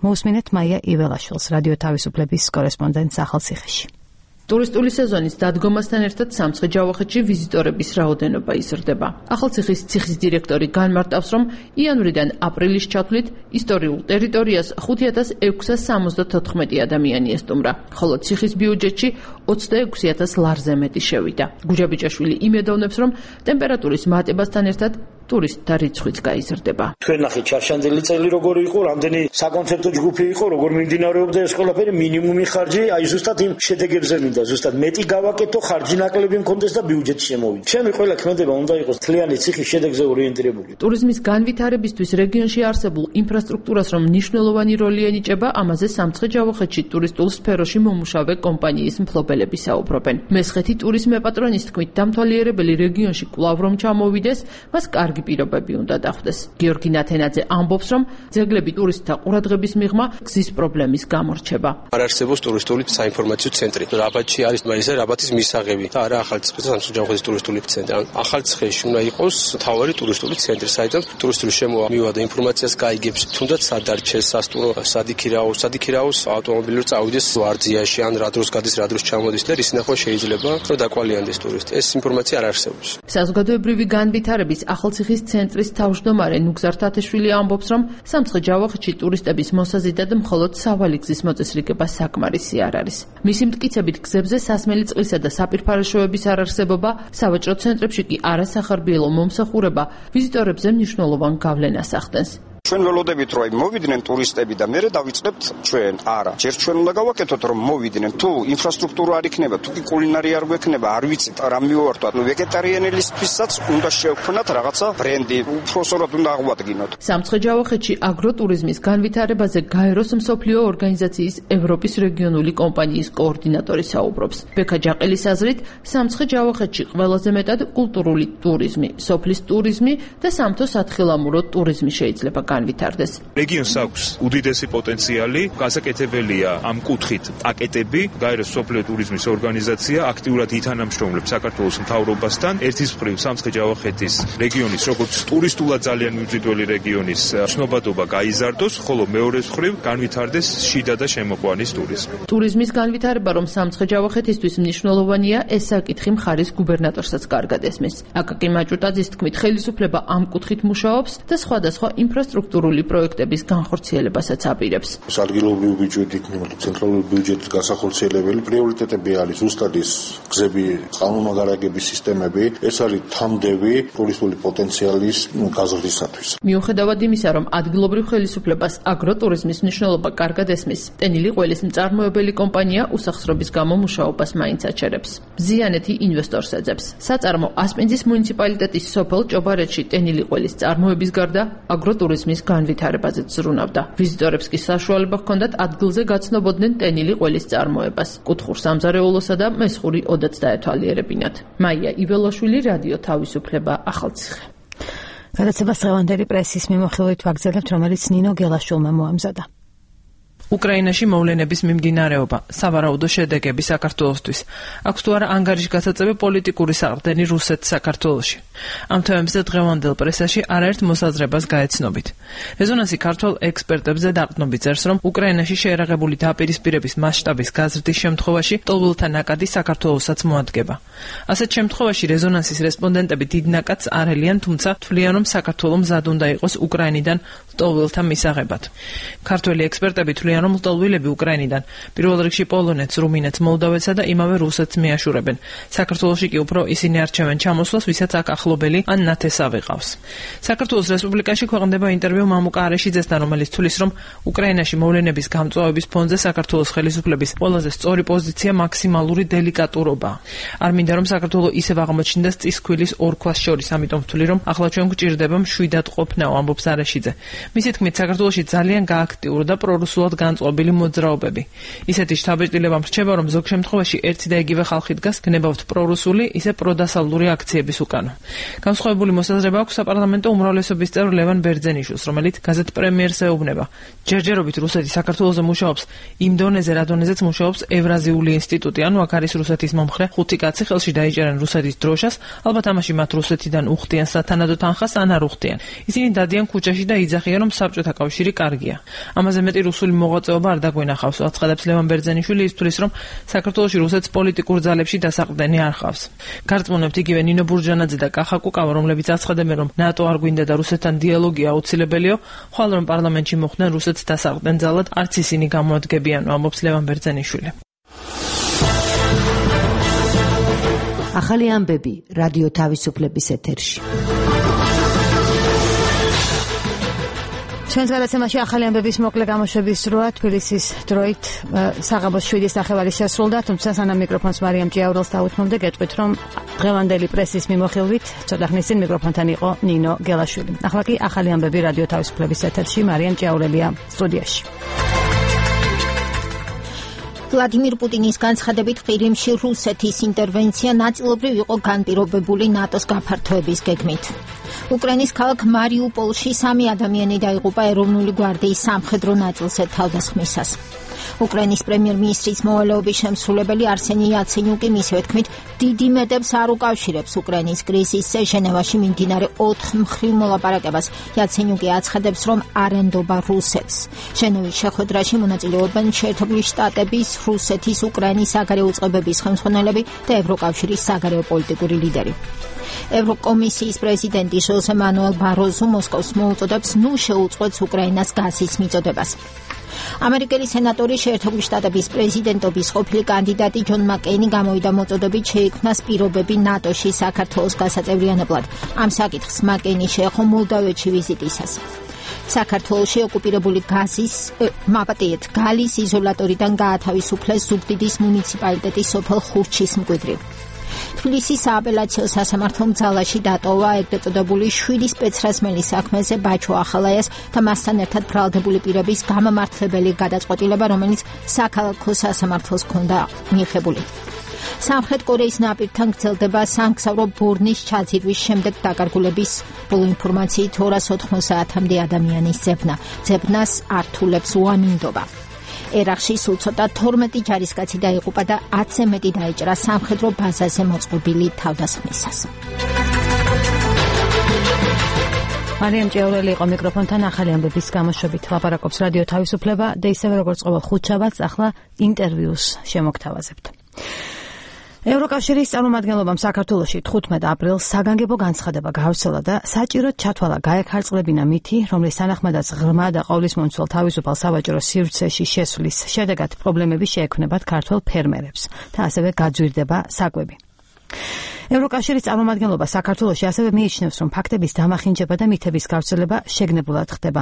მოусმინეთ მაია იველაშვილს, რადიო თავისუფლების კორესპონდენტს ახალციხეში. ტურისტული სეზონის დადგომასთან ერთად სამცხე-ჯავახეთში ვიზიტორების რაოდენობა იზრდება. ახალციხის ციხის დირექტორი განმარტავს, რომ იანვრიდან აპრილის ჩათვლით ისტორიულ ტერიტორიას 5674 ადამიანი ესტუმრა, ხოლო ციხის ბიუჯეტში 26000 ლარზე მეტი შევიდა. გუჯაბიჭაშვილი იმედოვნებს, რომ ტემპერატურის მატებასთან ერთად ტურისტთა რიცხვიც გაიზრდება. თქვენ ნახეთ ჩარშანდელი წელი როგორი იყო, რამდენი საკონცერტო ჯგუფი იყო, როგორ მიმდინარეობდა ეს ყველაფერი, მინიმუმი ხარჯი, აი ზუსტად იმ შედეგებზე მინდა, ზუსტად მეტი გავაკეთო, ხარჯი ნაკლები მქონდეს და ბიუჯეტი შემოვიდა. ჩემი ყველა ქმედება უნდა იყოს თლიანი ციხის შედეგზე ორიენტირებული. ტურიზმის განვითარებისთვის რეგიონში არსებულ ინფრასტრუქტურას რომ მნიშვნელოვანი როლი ენიჭება, ამაზე სამცხე-ჯავახეთში ტურისტულ სფეროში მომუშავე კომპანიის მფლობელები საუბრობენ. მესხეთი ტურიზმ მეპატრონის თქმით, დამთვალიერებელი რეგიონში კვლავ რომ ჩამოვიდეს, მას კარგი პირობები უნდა დახვდეს. გიორგი ნათენაძე ამბობს, რომ ძეგლები ტურისტთა ყურადღების მიღმა გზის პრობლემის გამორჩება. არ არსებობს ტურისტული საინფორმაციო ცენტრი. რაბატში არის მაინც რაბატის მისაღები და არა ახალციხის და სამცხე-ჯავახეთის ტურისტული ცენტრი. ახალციხეში უნდა იყოს მთავარი ტურისტული ცენტრი, საიდანაც ტურისტული შემოვა და ინფორმაციას გაიგებს, თუნდაც სად დარჩეს სასტუმრო, სად იქირაოს ავტომობილით წავიდეს ვარძიაში, ან რა დროს გადის, რა დროს ჩამოდის და რის ნახვა შეიძლება, რომ დაკვალიანდეს ტურისტი. ეს ინფორმაცია არ არსებობს. საზოგადოებრივი განვითარების ახალციხის ცენტრის თავმჯდომარე ნუგზარ თათეშვილი ამბობს, რომ სამცხე-ჯავახეთში ტურისტების მოსაზიდად მხოლოდ სავალი გზის მოწესრიგება საკმარისი არ არის. მისი მტკიცებით გზებზე სასმელი წყლისა და საპირფარეშოების არარსებობა, სავაჭრო ცენტრებში კი არასახარბიელო მომსახურება ვიზიტორებზე მნიშვნელოვან გავლენას ახდენს. ჩვენ ველოდებით რომ მოვიდნენ ტურისტები და მერე დავიწყებთ ჩვენ. არა, ჯერ ჩვენ უნდა გავაკეთოთ რომ მოვიდნენ. თუ ინფრასტრუქტურა არ იქნება, თუ კი კულინარია არ გვექნება, არ ვიცით რა მივართვათ. ვეგეტარიანელისთვისაც უნდა შევქმნათ რაღაცა ბრენდი, უпроსორად უნდა აღვადგინოთ. სამცხე-ჯავახეთში აგროტურიზმის განვითარებაზე გაეროს მსოფლიო ორგანიზაციის ევროპის რეგიონული კომპანიის კოორდინატორი საუბრობს. ბექა ჯაყელის აზრით, სამცხე-ჯავახეთში ყველაზე მეტად კულტურული ტურიზმი, სოფლის ტურიზმი და სამთო-სათხილამურო ტურიზმი შეიძლება განვითარდეს. რეგიონს აქვს უდიდესი პოტენციალი, გასაკეთებელია ამ კუთხით პაკეტები. გაეროს მსოფლიო ტურიზმის ორგანიზაცია აქტიურად ითანამშრომლებს საქართველოს მთავრობასთან. ერთის მხრივ სამცხე-ჯავახეთის რეგიონის როგორც ტურისტულად ძალიან მიმზიდველი რეგიონის ცნობადობა გაიზარდოს, ხოლო მეორეს მხრივ განვითარდეს შიდა და შემოყვანის ტურიზმი. ტურიზმის განვითარება რომ სამცხე-ჯავახეთისთვის მნიშვნელოვანია, ეს საკითხი მხარის გუბერნატორსაც კარგად ესმის. აკაკი მაჭუტაძის თქმით, ხელისუფლება ამ კუთხით მუშაობს და სხვადასხვა ინფრასტრუქტურული პროექტების განხორციელებასაც აპირებს. ადგილობრივი ბიუჯეტი, ცენტრალური ბიუჯეტის განსახორციელებელი პრიორიტეტები არის ზუსტად ის გზები, წყალმომაგარებების სისტემები, ეს არის თამდევი ტურისტული პოტენციალის გაზრდისათვის. მიუხედავად იმისა, რომ ადგილობრივ ხელისუფლებას აგროტურიზმის მნიშვნელობა კარგად ესმის, ტენილი ყველის მწარმოებელი კომპანია უსახსრობის გამო მუშაობას მაინც აჩერებს. ზიანეთი ინვესტორს ეძებს. საწარმო ასპინძის მუნიციპალიტეტის სოფელ ჭობარეთში ტენილი ყველის წარმოების გარდა აგროტურიზმის განვითარებაზეც ზრუნავდა. ვიზიტორებს კი საშუალება ჰქონდათ ადგილზე გაცნობოდნენ ტენილი ყველის წარმოებას, კუთხურ სამზარეულოსა და მესხური ოდაც დაეთვალიერებინათ. მაია იველაშვილი, რადიო თავისუფლება, ახალციხე. გადაცემას დღევანდელი პრესის მიმოხილვით ვაგრძელებთ, რომელიც ნინო გელაშვილმა მოამზადა. უკრაინაში მოვლენების მიმდინარეობა, სავარაუდო შედეგები საქართველოსთვის. აქვს თუ არა ანგარიშგასაწევი პოლიტიკური საყრდენი რუსეთს საქართველოში. ამ თემებზე დღევანდელ პრესაში არაერთ მოსაზრებას გაეცნობით. რეზონანსი ქართველ ექსპერტებზე დაყრდნობით წერს, რომ უკრაინაში შეერაღებული დაპირისპირების მასშტაბის გაზრდის შემთხვევაში ტოლვილთა ნაკადი საქართველოსაც მოადგება. ასეთ შემთხვევაში რეზონანსის რესპონდენტები დიდ ნაკადს არ ელიან, თუმცა თვლიან, რომ საქართველო მზად უნდა იყოს უკრაინიდან ტოლვილთა მისაღებად. ქართველი ექსპერტები თვლიან, რომ ლტოლვილები უკრაინიდან პირველ რიგში პოლონეთს, რუმინეთს, მოლდავეთსა და იმავე რუსეთს მიაშურებენ. საქართველოში კი უფრო ისინი არჩევენ ჩამოსვლას, ვისაც აქ ახლობელი ან ნათესავი ყავს. საქართველოს რესპუბლიკაში ქვეყნდება ინტერვიუ მამუკა არეშიძესთან, რომელიც თვლის, რომ უკრაინაში მოვლენების გამწვავების ფონზე საქართველოს ხელისუფლების ყველაზე სწორი პოზიცია მაქსიმალური დელიკატურობაა. არ მინდა რომ საქართველო ისევ აღმოჩნდეს წისქვილის ორ ქვას შორის, ამიტომ ვთვლი, რომ ახლა ჩვენ გვჭირდება მშვიდად ყოფნა, ამბობს არეშიძე. მისი თქმით, საქართველოში ძალიან გააქტიურდა პრორუსულად განწყობილი მოძრაობები. ისეთი შთაბეჭდილება მრჩება, რომ ზოგ შემთხვევაში ერთი და იგივე ხალხი დგას გნებავთ პრორუსული, ისე პროდასავლური აქციების უკანო. განსხვავებული მოსაზრება აქვს საპარლამენტო უმრავლესობის წევრ ლევან ბერძენიშვილს, რომელიც გაზეთ პრემიერს ეუბნება. ჯერჯერობით რუსეთი საქართველოზე მუშაობს იმ დონეზე, რა დონეზეც მუშაობს ევრაზიული ინსტიტუტი, ანუ აქ არის რუსეთის მომხრე 5 კაცი, ხელში დაიჭერენ რუსეთის დროშას, ალბათ ამაში მათ რუსეთიდან უხდიან სათანადო თანხას ან არ უხდიან. ისინი დადიან ქუჩაში და იძახიან, რომ საბჭოთა კავშირი კარგია. ამაზე მეტი რუსული მოღვაწეობა არ დაგვინახავს, აცხადებს ლევან ბერძენიშვილი, ისთვის რომ საქართველოში რუსეთს პოლიტიკურ ძალებში დასაყრდენი არ ხავს. გარწმუნებთ იგივე ნინო ბურჯანაძე და კახა კუკავა, რომლებიც აცხადებენ, რომ ნატო არ გვინდა და რუსეთთან დიალოგი აუცილებელია, ხვალ რომ პარლამენტში მოხვდნენ რუსეთს დასაყრდენ ძალად, არც ისინი გამოადგებიან, ამბობს ლევან ბერძენიშვილი. ახალი ამბები რადიო თავისუფლების ეთერში. ჩვენს გადაცემაში ახალი ამბების მოკლე გამოშვების დროა თბილისის დროით საღამოს 7-ის ნახევარი შესრულდა, თუმცა სანამ მიკროფონს მარიამ ჭიაურელს დავუთმობდე, გეტყვით, რომ დღევანდელი პრესის მიმოხილვით ცოტა ხნის წინ მიკროფონთან იყო ნინო გელაშვილი. ახლა კი ახალი ამბები რადიო თავისუფლების ეთერში, მარიამ ჭიაურელია სტუდიაში. ვლადიმირ პუტინის განცხადებით ყირიმში რუსეთის ინტერვენცია ნაწილობრივ იყო განპირობებული ნატოს გაფართოების გეგმით. უკრაინის ქალაქ მარიუპოლში 3 ადამიანი დაიღუპა ეროვნული გვარდიის სამხედრო ნაწილზე თავდასხმისას. უკრაინის პრემიერ-მინისტრის მოვალეობის შემსრულებელი არსენი იაცენიუკი მისივე თქმით დიდი მეტებს არ უკავშირებს უკრაინის კრიზისზე ჟენევაში მიმდინარე 4 მხრივ მოლაპარაკებას. იაცენიუკი აცხადებს, რომ არ ენდობა რუსეთს. ჟენევის შეხვედრაში მონაწილეობენ შეერთებული შტატების, რუსეთის, უკრაინის საგარეო უწყებების ხელმძღვანელები და ევროკავშირის საგარეო პოლიტიკური ლიდერი. ევროკომისიის პრეზიდენტი ჟოზე მანუელ ბაროზო მოსკოვს მოუწოდებს ნუ შეუწყვეტს უკრაინას გაზის მიწოდებას. ამერიკელი სენატორი შეერთებული შტატების პრეზიდენტობის ყოფილი კანდიდატი ჯონ მაკეინი გამოვიდა მოწოდებით შეიქმნას პირობები ნატოში საქართველოს გასაწევრიანებლად. ამ საკითხს მაკეინი შეეხო მოლდავეთში ვიზიტისას. საქართველოში ოკუპირებული გალის იზოლატორიდან გაათავისუფლეს ზუგდიდის მუნიციპალიტეტის სოფელ ხურჩის მკვიდრი. თბილისის სააპელაციო სასამართლომ ძალაში დატოვა ეგრეთ წოდებული 7 სპეცრაზმელის საქმეზე ბაჩო ახალაიას და მასთან ერთად ბრალდებული პირების გამამართლებელი გადაწყვეტილება, რომელიც საქალაქო სასამართლოს ჰქონდა მიღებული. სამხრეთ კორეის ნაპირთან გრძელდება სამგზავრო ბორნის ჩაძირვის შემდეგ დაკარგულების ბოლო ინფორმაციით 290-მდე ადამიანის ძებნა. ძებნას ართულებს უამინდობა. ერახში სულ ცოტა 12 ჯარისკაცი დაიღუპა და 10-ზე მეტი დაიჭრა სამხედრო ბაზაზე მოწყობილი თავდასხმისას. მარიამ ჭიაურელი იყო მიკროფონთან ახალი ამბების გამოშვებით. ლაპარაკობს რადიო თავისუფლება და ისევე როგორც ყოველ ხუთშაბათს ახლა ინტერვიუს შემოგთავაზებთ. ევროკავშირის წარმომადგენლობამ საქართველოში 15 აპრილს საგანგებო განცხადება გაავრცელა და საჭიროდ ჩათვალა გაეხარწყლებინა მითი, რომლის თანახმადაც ღრმა და ყოვლისმომცველ თავისუფალ სავაჭრო სივრცეში შესვლის შედეგად პრობლემები შეექმნებათ ქართველ ფერმერებს და ასევე გაძვირდება საკვები. ევროკავშირის წარმომადგენლობა საქართველოში ასევე მიიჩნევს, რომ ფაქტების დამახინჯება და მითების გავრცელება შეგნებულად ხდება.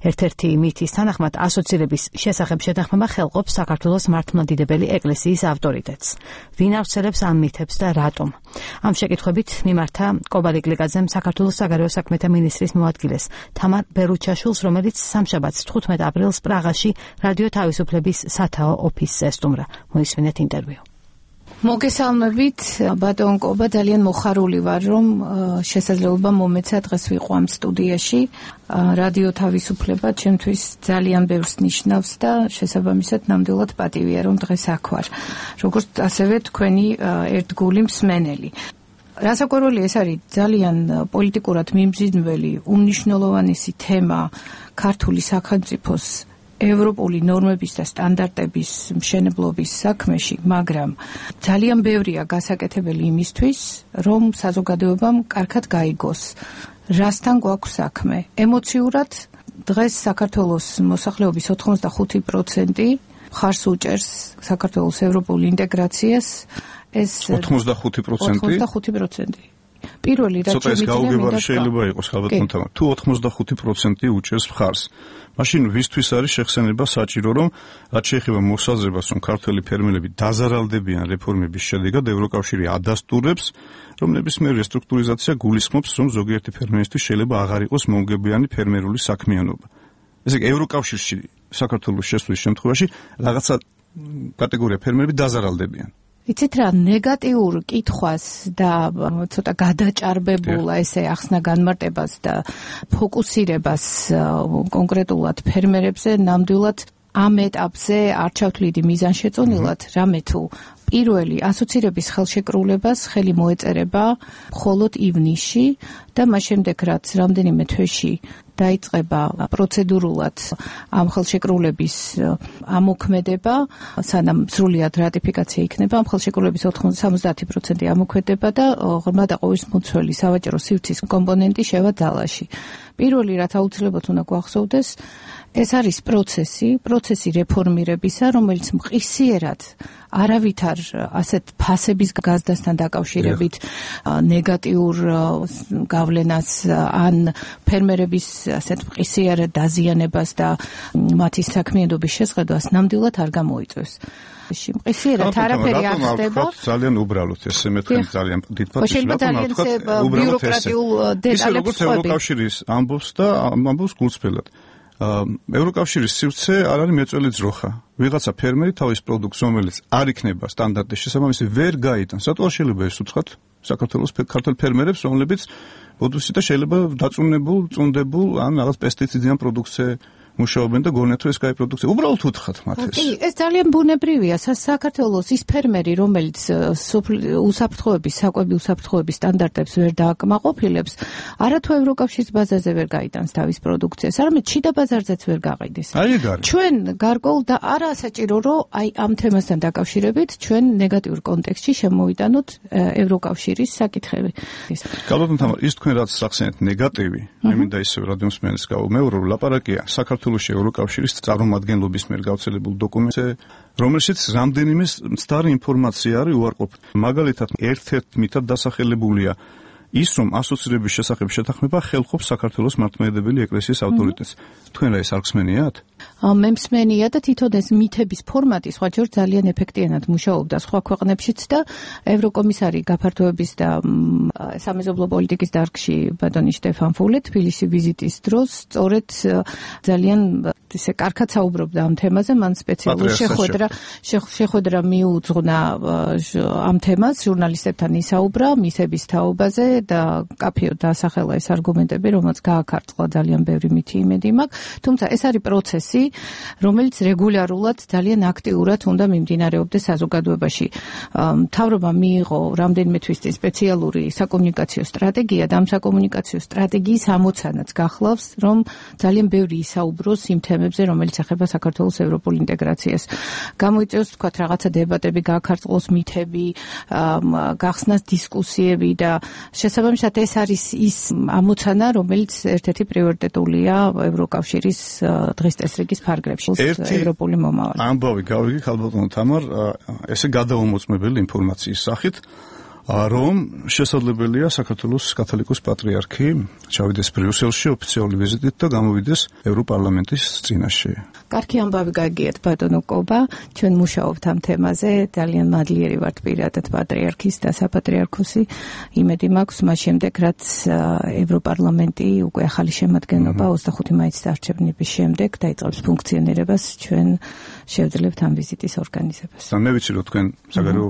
ერთ-ერთი მითის თანახმად ასოცირების შესახებ შეთანხმება ხელყოფს საქართველოს მართლმადიდებელი ეკლესიის ავტორიტეტს. ვინ ავრცელებს ამ მითებს და რატომ? ამ შეკითხვებით მიმართა კობალე გლიკაძემ საქართველოს საგარეო საქმეთა მინისტრის მოადგილეს თამარ ბერუჩაშვილს, რომელიც სამშაბათს 15 აპრილს პრაღაში რადიო თავისუფლების სათაო ოფისზე სტუმრა. მოისმინეთ ინტერვიუ. მოგესალმებით, ბატონ კობა, ძალიან მოხარული ვარ, რომ შესაძლებლობა მომეცა დღეს ვიყო ამ სტუდიაში. რადიო თავისუფლება ჩემთვის ძალიან ბევრს ნიშნავს და შესაბამისად ნამდვილად პატივია, რომ დღეს აქ ვარ. როგორც ასევე თქვენი ერთგული მსმენელი. რასაკვირველი ეს არის ძალიან პოლიტიკურად მიმზიდველი, უმნიშვნელოვანესი თემა ქართული სახელმწიფოს ევროპული ნორმების და სტანდარტების მშენებლობის საქმეში, მაგრამ ძალიან ბევრია გასაკეთებელი იმისთვის, რომ საზოგადოებამ კარგად გაიგოს, რასთან გვაქვს საქმე. ემოციურად დღეს საქართველოს მოსახლეობის 85% მხარს უჭერს საქართველოს ევროპულ ინტეგრაციას. ეს 85%? პირველი რაც შეიძლება გაუგებარი შეიძლება იყოს ალბათ, თუ 85% უჭერს მხარს. მაშინ ვისთვის არის შეხსენება საჭირო, რომ რაც შეეხება მოსაზრებას, რომ ქართველი ფერმერები დაზარალდებიან რეფორმების შედეგად, ევროკავშირი ადასტურებს, რომ ნებისმიერი რესტრუქტურიზაცია გულისხმობს, რომ ზოგიერთი ფერმერისთვის შეიძლება აღარ იყოს მომგებიანი ფერმერული საქმიანობა. ესე იგი ევროკავშირში საქართველოს შესვლის შემთხვევაში რაღაცა კატეგორია ფერმერები დაზარალდებიან. იცით რა, ნეგატიურ კითხვას და ცოტა გადაჭარბებულა ესე ახსნა განმარტებას და ფოკუსირებას კონკრეტულად ფერმერებზე ნამდვილად ამ ეტაპზე არ ჩავთვლიდი მიზანშეწონილად, რამე თუ პირველი ასოცირების ხელშეკრულებას ხელი მოეწერება მხოლოდ ივნისში და მას შემდეგ რაც რამდენიმე თვეში დაიწყება პროცედურულად ამ ხელშეკრულების ამოქმედება, სანამ სრულად რატიფიკაცია იქნება, ამ ხელშეკრულების 70% ამოქმედება და ღრმა და ყოვლის მუცველი სავაჭრო სივრცის კომპონენტი შევა ძალაში. პირველი რაც აუცილებლად უნდა გვახსოვდეს, ეს არის პროცესი რეფორმირებისა, რომელიც მყისიერად არავითარ ასეთ ფასების გაზრდასთან დაკავშირებით ნეგატიურ გავლენას ან ფერმერების ასეთ მყისიერ დაზიანებას და მათი საქმიანობის შესყიდვას ნამდვილად არ გამოიწვევს. მყისიერად არაფერი არ ხდება. ძალიან უბრალოდ ესე მეთქი ძალიან დიდ პატივს ვაკეთებ. ბიუროკრატიულ დეტალებს ხვები. ევროკავშირის ამბობს და ამბობს გულწრფელად. ევროკავშირის სივრცე არ არის მეწველი ძროხა. ვიღაცა ფერმერი თავის პროდუქტს, რომელიც არ იქნება სტანდარტის შესაბამისი, ვერ გაიტანს. რატო შეიძლება ეს უცხოთ საქართველოს ქართულ ფერმერებს, რომლებიც ბოდუში და შეიძლება დაწუნებულ, წუნდებულ ან რაღაც პესტიციდიან პროდუქტზე მუშაობენ და გონიათ რომ ეს კაი პროდუქცია. უბრალოდ უთხრათ მათ ეს. კი, ეს ძალიან ბუნებრივია. საქართველოს ის ფერმერი, რომელიც უსაფრთხოების, საკვები უსაფრთხოების სტანდარტებს ვერ დააკმაყოფილებს, არათუ ევროკავშირის ბაზაზე ვერ გაიტანს თავის პროდუქციას, არამედ შიდა ბაზარზეც ვერ გაყიდეს. ჩვენ გარკვეულ და არა საჭირო, რომ აი ამ თემასთან დაკავშირებით ჩვენ ნეგატიურ კონტექსტში შემოვიტანოთ ევროკავშირის საკითხები. გალობთ თამარ, ის თქვენ რაც სახსენეთ ნეგატივი, მე მინდა ისევ რადიომსმენელს გავუმეორო, ლაპარაკია საქართველოს ევროკავშირის წარმომადგენლობის მიერ გავრცელებულ დოკუმენტზე, რომელშიც რამდენიმე მცდარი ინფორმაცია არის უარყოფითი. მაგალითად, ერთ-ერთ მითად დასახელებულია ის, რომ ასოცირების შესახებ შეთანხმება ხელყოფს საქართველოს მართლმადიდებელი ეკლესიის ავტორიტეტს. თქვენ რა ეს არ გსმენიათ? მე მსმენია და თვითონ ეს მითების ფორმატი სხვაჯერ ძალიან ეფექტიანად მუშაობდა სხვა ქვეყნებშიც და ევროკომისარი გაფართოების და სამეზობლო პოლიტიკის დარგში ბატონი შტეფან ფულე თბილისში ვიზიტის დროს სწორედ ძალიან ისე კარგად საუბრობდა ამ თემაზე, მან სპეციალურ შეხვედრა მიუძღვნა ამ თემას, ჟურნალისტებთან ისაუბრა მითების თაობაზე და კაფეოდ დაასახელა ეს არგუმენტები, რომელიც გააქარწყლა ძალიან ბევრი მითი იმედი მაქვს, თუმცა ეს არის პროცესი, რომელიც რეგულარულად ძალიან აქტიურად უნდა მიმდინარეობდეს საზოგადოებაში. მთავრობა მიიღო რამდენიმე თვის წინ სპეციალური საკომუნიკაციო სტრატეგია და ამ საკომუნიკაციო სტრატეგიის ამოცანაც გახლავს, რომ ძალიან ბევრი ისაუბროს იმ თემებზე, რომელიც ეხება საქართველოს ევროპულ ინტეგრაციას. გამოიწვევს თქვათ რაღაცა დებატები, გააქარწყლოს მითები, გახსნას დისკუსიები და შესაბამისად ეს არის ის ამოცანა, რომელიც ერთ-ერთი პრიორიტეტულია ევროკავშირის დღის წესრიგის ფარგლებში ევროპული მომავალი. ამბავი გავიგე ხალბატონო თამარ, ესე გადაუმოწმებელი ინფორმაციის სახით, რომ შესაძლებელია საქართველოს კათოლიკოს პატრიარქი ჩავიდეს ბრიუსელში ოფიციალური ვიზიტით და გამოვიდეს ევროპარლამენტის წინაშე. კარგი ამბავი გაგიათ ბატონო კობა, ჩვენ მუშაობთ ამ თემაზე, ძალიან მადლიერი ვართ პირადად პატრიარქის და საპატრიარქოსი. იმედი მაქვს მას შემდეგ, რაც ევროპარლამენტი უკვე ახალი შემადგენლობა 25 მაისის არჩევნების შემდეგ დაიწყებს ფუნქციონირებას, ჩვენ შევძლებთ ამ ვიზიტის ორგანიზებას. მე ვიცი რომ თქვენ საგარეო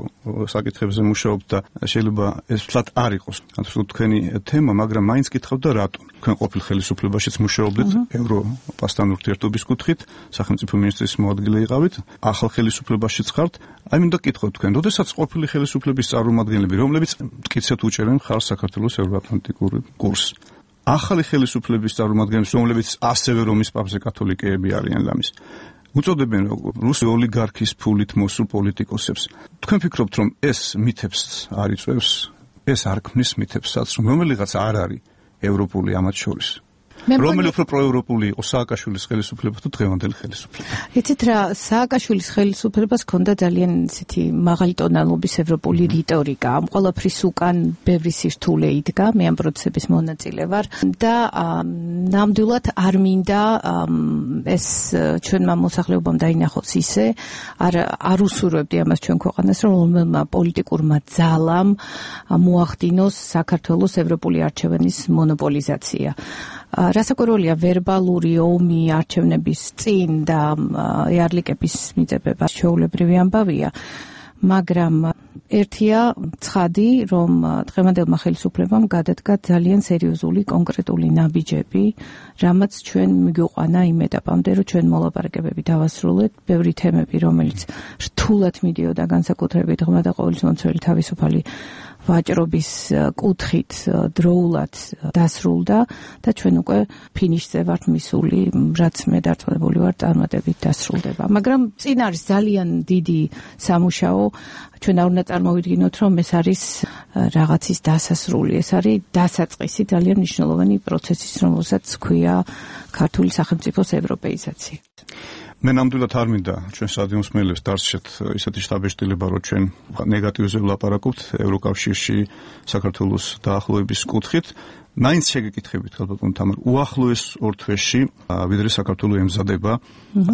საკითხებზე მუშაობთ და შეიძლება ეს ფლად არ იყოს თქვენი თემა, მაგრამ მაინც გითხავთ და რატო? თქვენ ყოფილ ხელისუფლებაშიც მუშაობდით ევროპასთან ურთიერთობის კუთხით, სახელმწიფო მინისტრის მოადგილე იყავით, ახალ ხელისუფლებაშიც ხართ. აი მინდა გითხოთ თქვენ, როდესაც ყოფილი ხელისუფლების წარმომადგენლები, რომლებიც მტკიცედ უჭერენ მხარს საქართველოს ევროატლანტიკურ კურსს, ახალი ხელისუფლების წარმომადგენლებს, რომლებიც ასევე რომის პაპზე კათოლიკეები არიან ლამის, უწოდებენ რუსი ოლიგარქის ფულით მოსულ პოლიტიკოსებს. თქვენ ფიქრობთ, რომ ეს მითებს არ იწვევს? ეს არ ქმნის მითებსაც, რომ რომელიღაც არ არის ევროპული ამათ შორის? რომელი უფრო პროევროპული იყო სააკაშვილის ხელისუფლება თუ დღევანდელი ხელისუფლება? იცით რა, სააკაშვილის ხელისუფლებას ჰქონდა ძალიან ისეთი მაღალი ტონალობის ევროპული რიტორიკა. ამ ყველაფრის უკან ბევრი სირთულე იდგა, მე ამ პროცესების მონაწილე ვარ და ნამდვილად არ მინდა ეს ჩვენმა მოსახლეობამ დაინახოს ისე, არ უსურვებდი ამას ჩვენ ქვეყანას, რომ რომელმა პოლიტიკურმა ძალამ მოახდინოს საქართველოს ევროპული არჩევანის მონოპოლიზაცია. რასაკვირველია ვერბალური ომი არჩევნების წინ და იარლიკების მიწებება ჩვეულებრივი ამბავია, მაგრამ ერთია ცხადი, რომ დღევანდელმა ხელისუფლებამ გადადგა ძალიან სერიოზული კონკრეტული ნაბიჯები, რამაც ჩვენ მიგვიყვანა იმ ეტაპამდე, რომ ჩვენ მოლაპარაკებები დავასრულეთ, ბევრი თემები, რომელიც რთულად მიდიოდა განსაკუთრებით ღრმა და ყოვლისმომცველი თავისუფალი ვაჭრობის კუთხით დროულად დასრულდა და ჩვენ უკვე ფინიშზე ვართ მისული, რაც მე დარწმუნებული ვარ წარმატებით დასრულდება. მაგრამ წინ არის ძალიან დიდი სამუშაო, ჩვენ არ უნდა წარმოვიდგინოთ, რომ ეს არის რაღაცის დასასრული, ეს არის დასაწყისი ძალიან მნიშვნელოვანი პროცესის, რომელსაც ქვია ქართული სახელმწიფოს ევროპეიზაცია. მე ნამდვილად არ მინდა ჩვენ სტადიონს მელებს დარჩეთ ისეთი შთაბეჭდილება, რომ ჩვენ ნეგატივზე ვლაპარაკობთ ევროკავშირში საქართველოს დაახლოების კუთხით. მაინც შეგეკითხებით, ხალბატონ თამარ, უახლოეს ორ თვეში, ვიდრე საქართველო ემზადება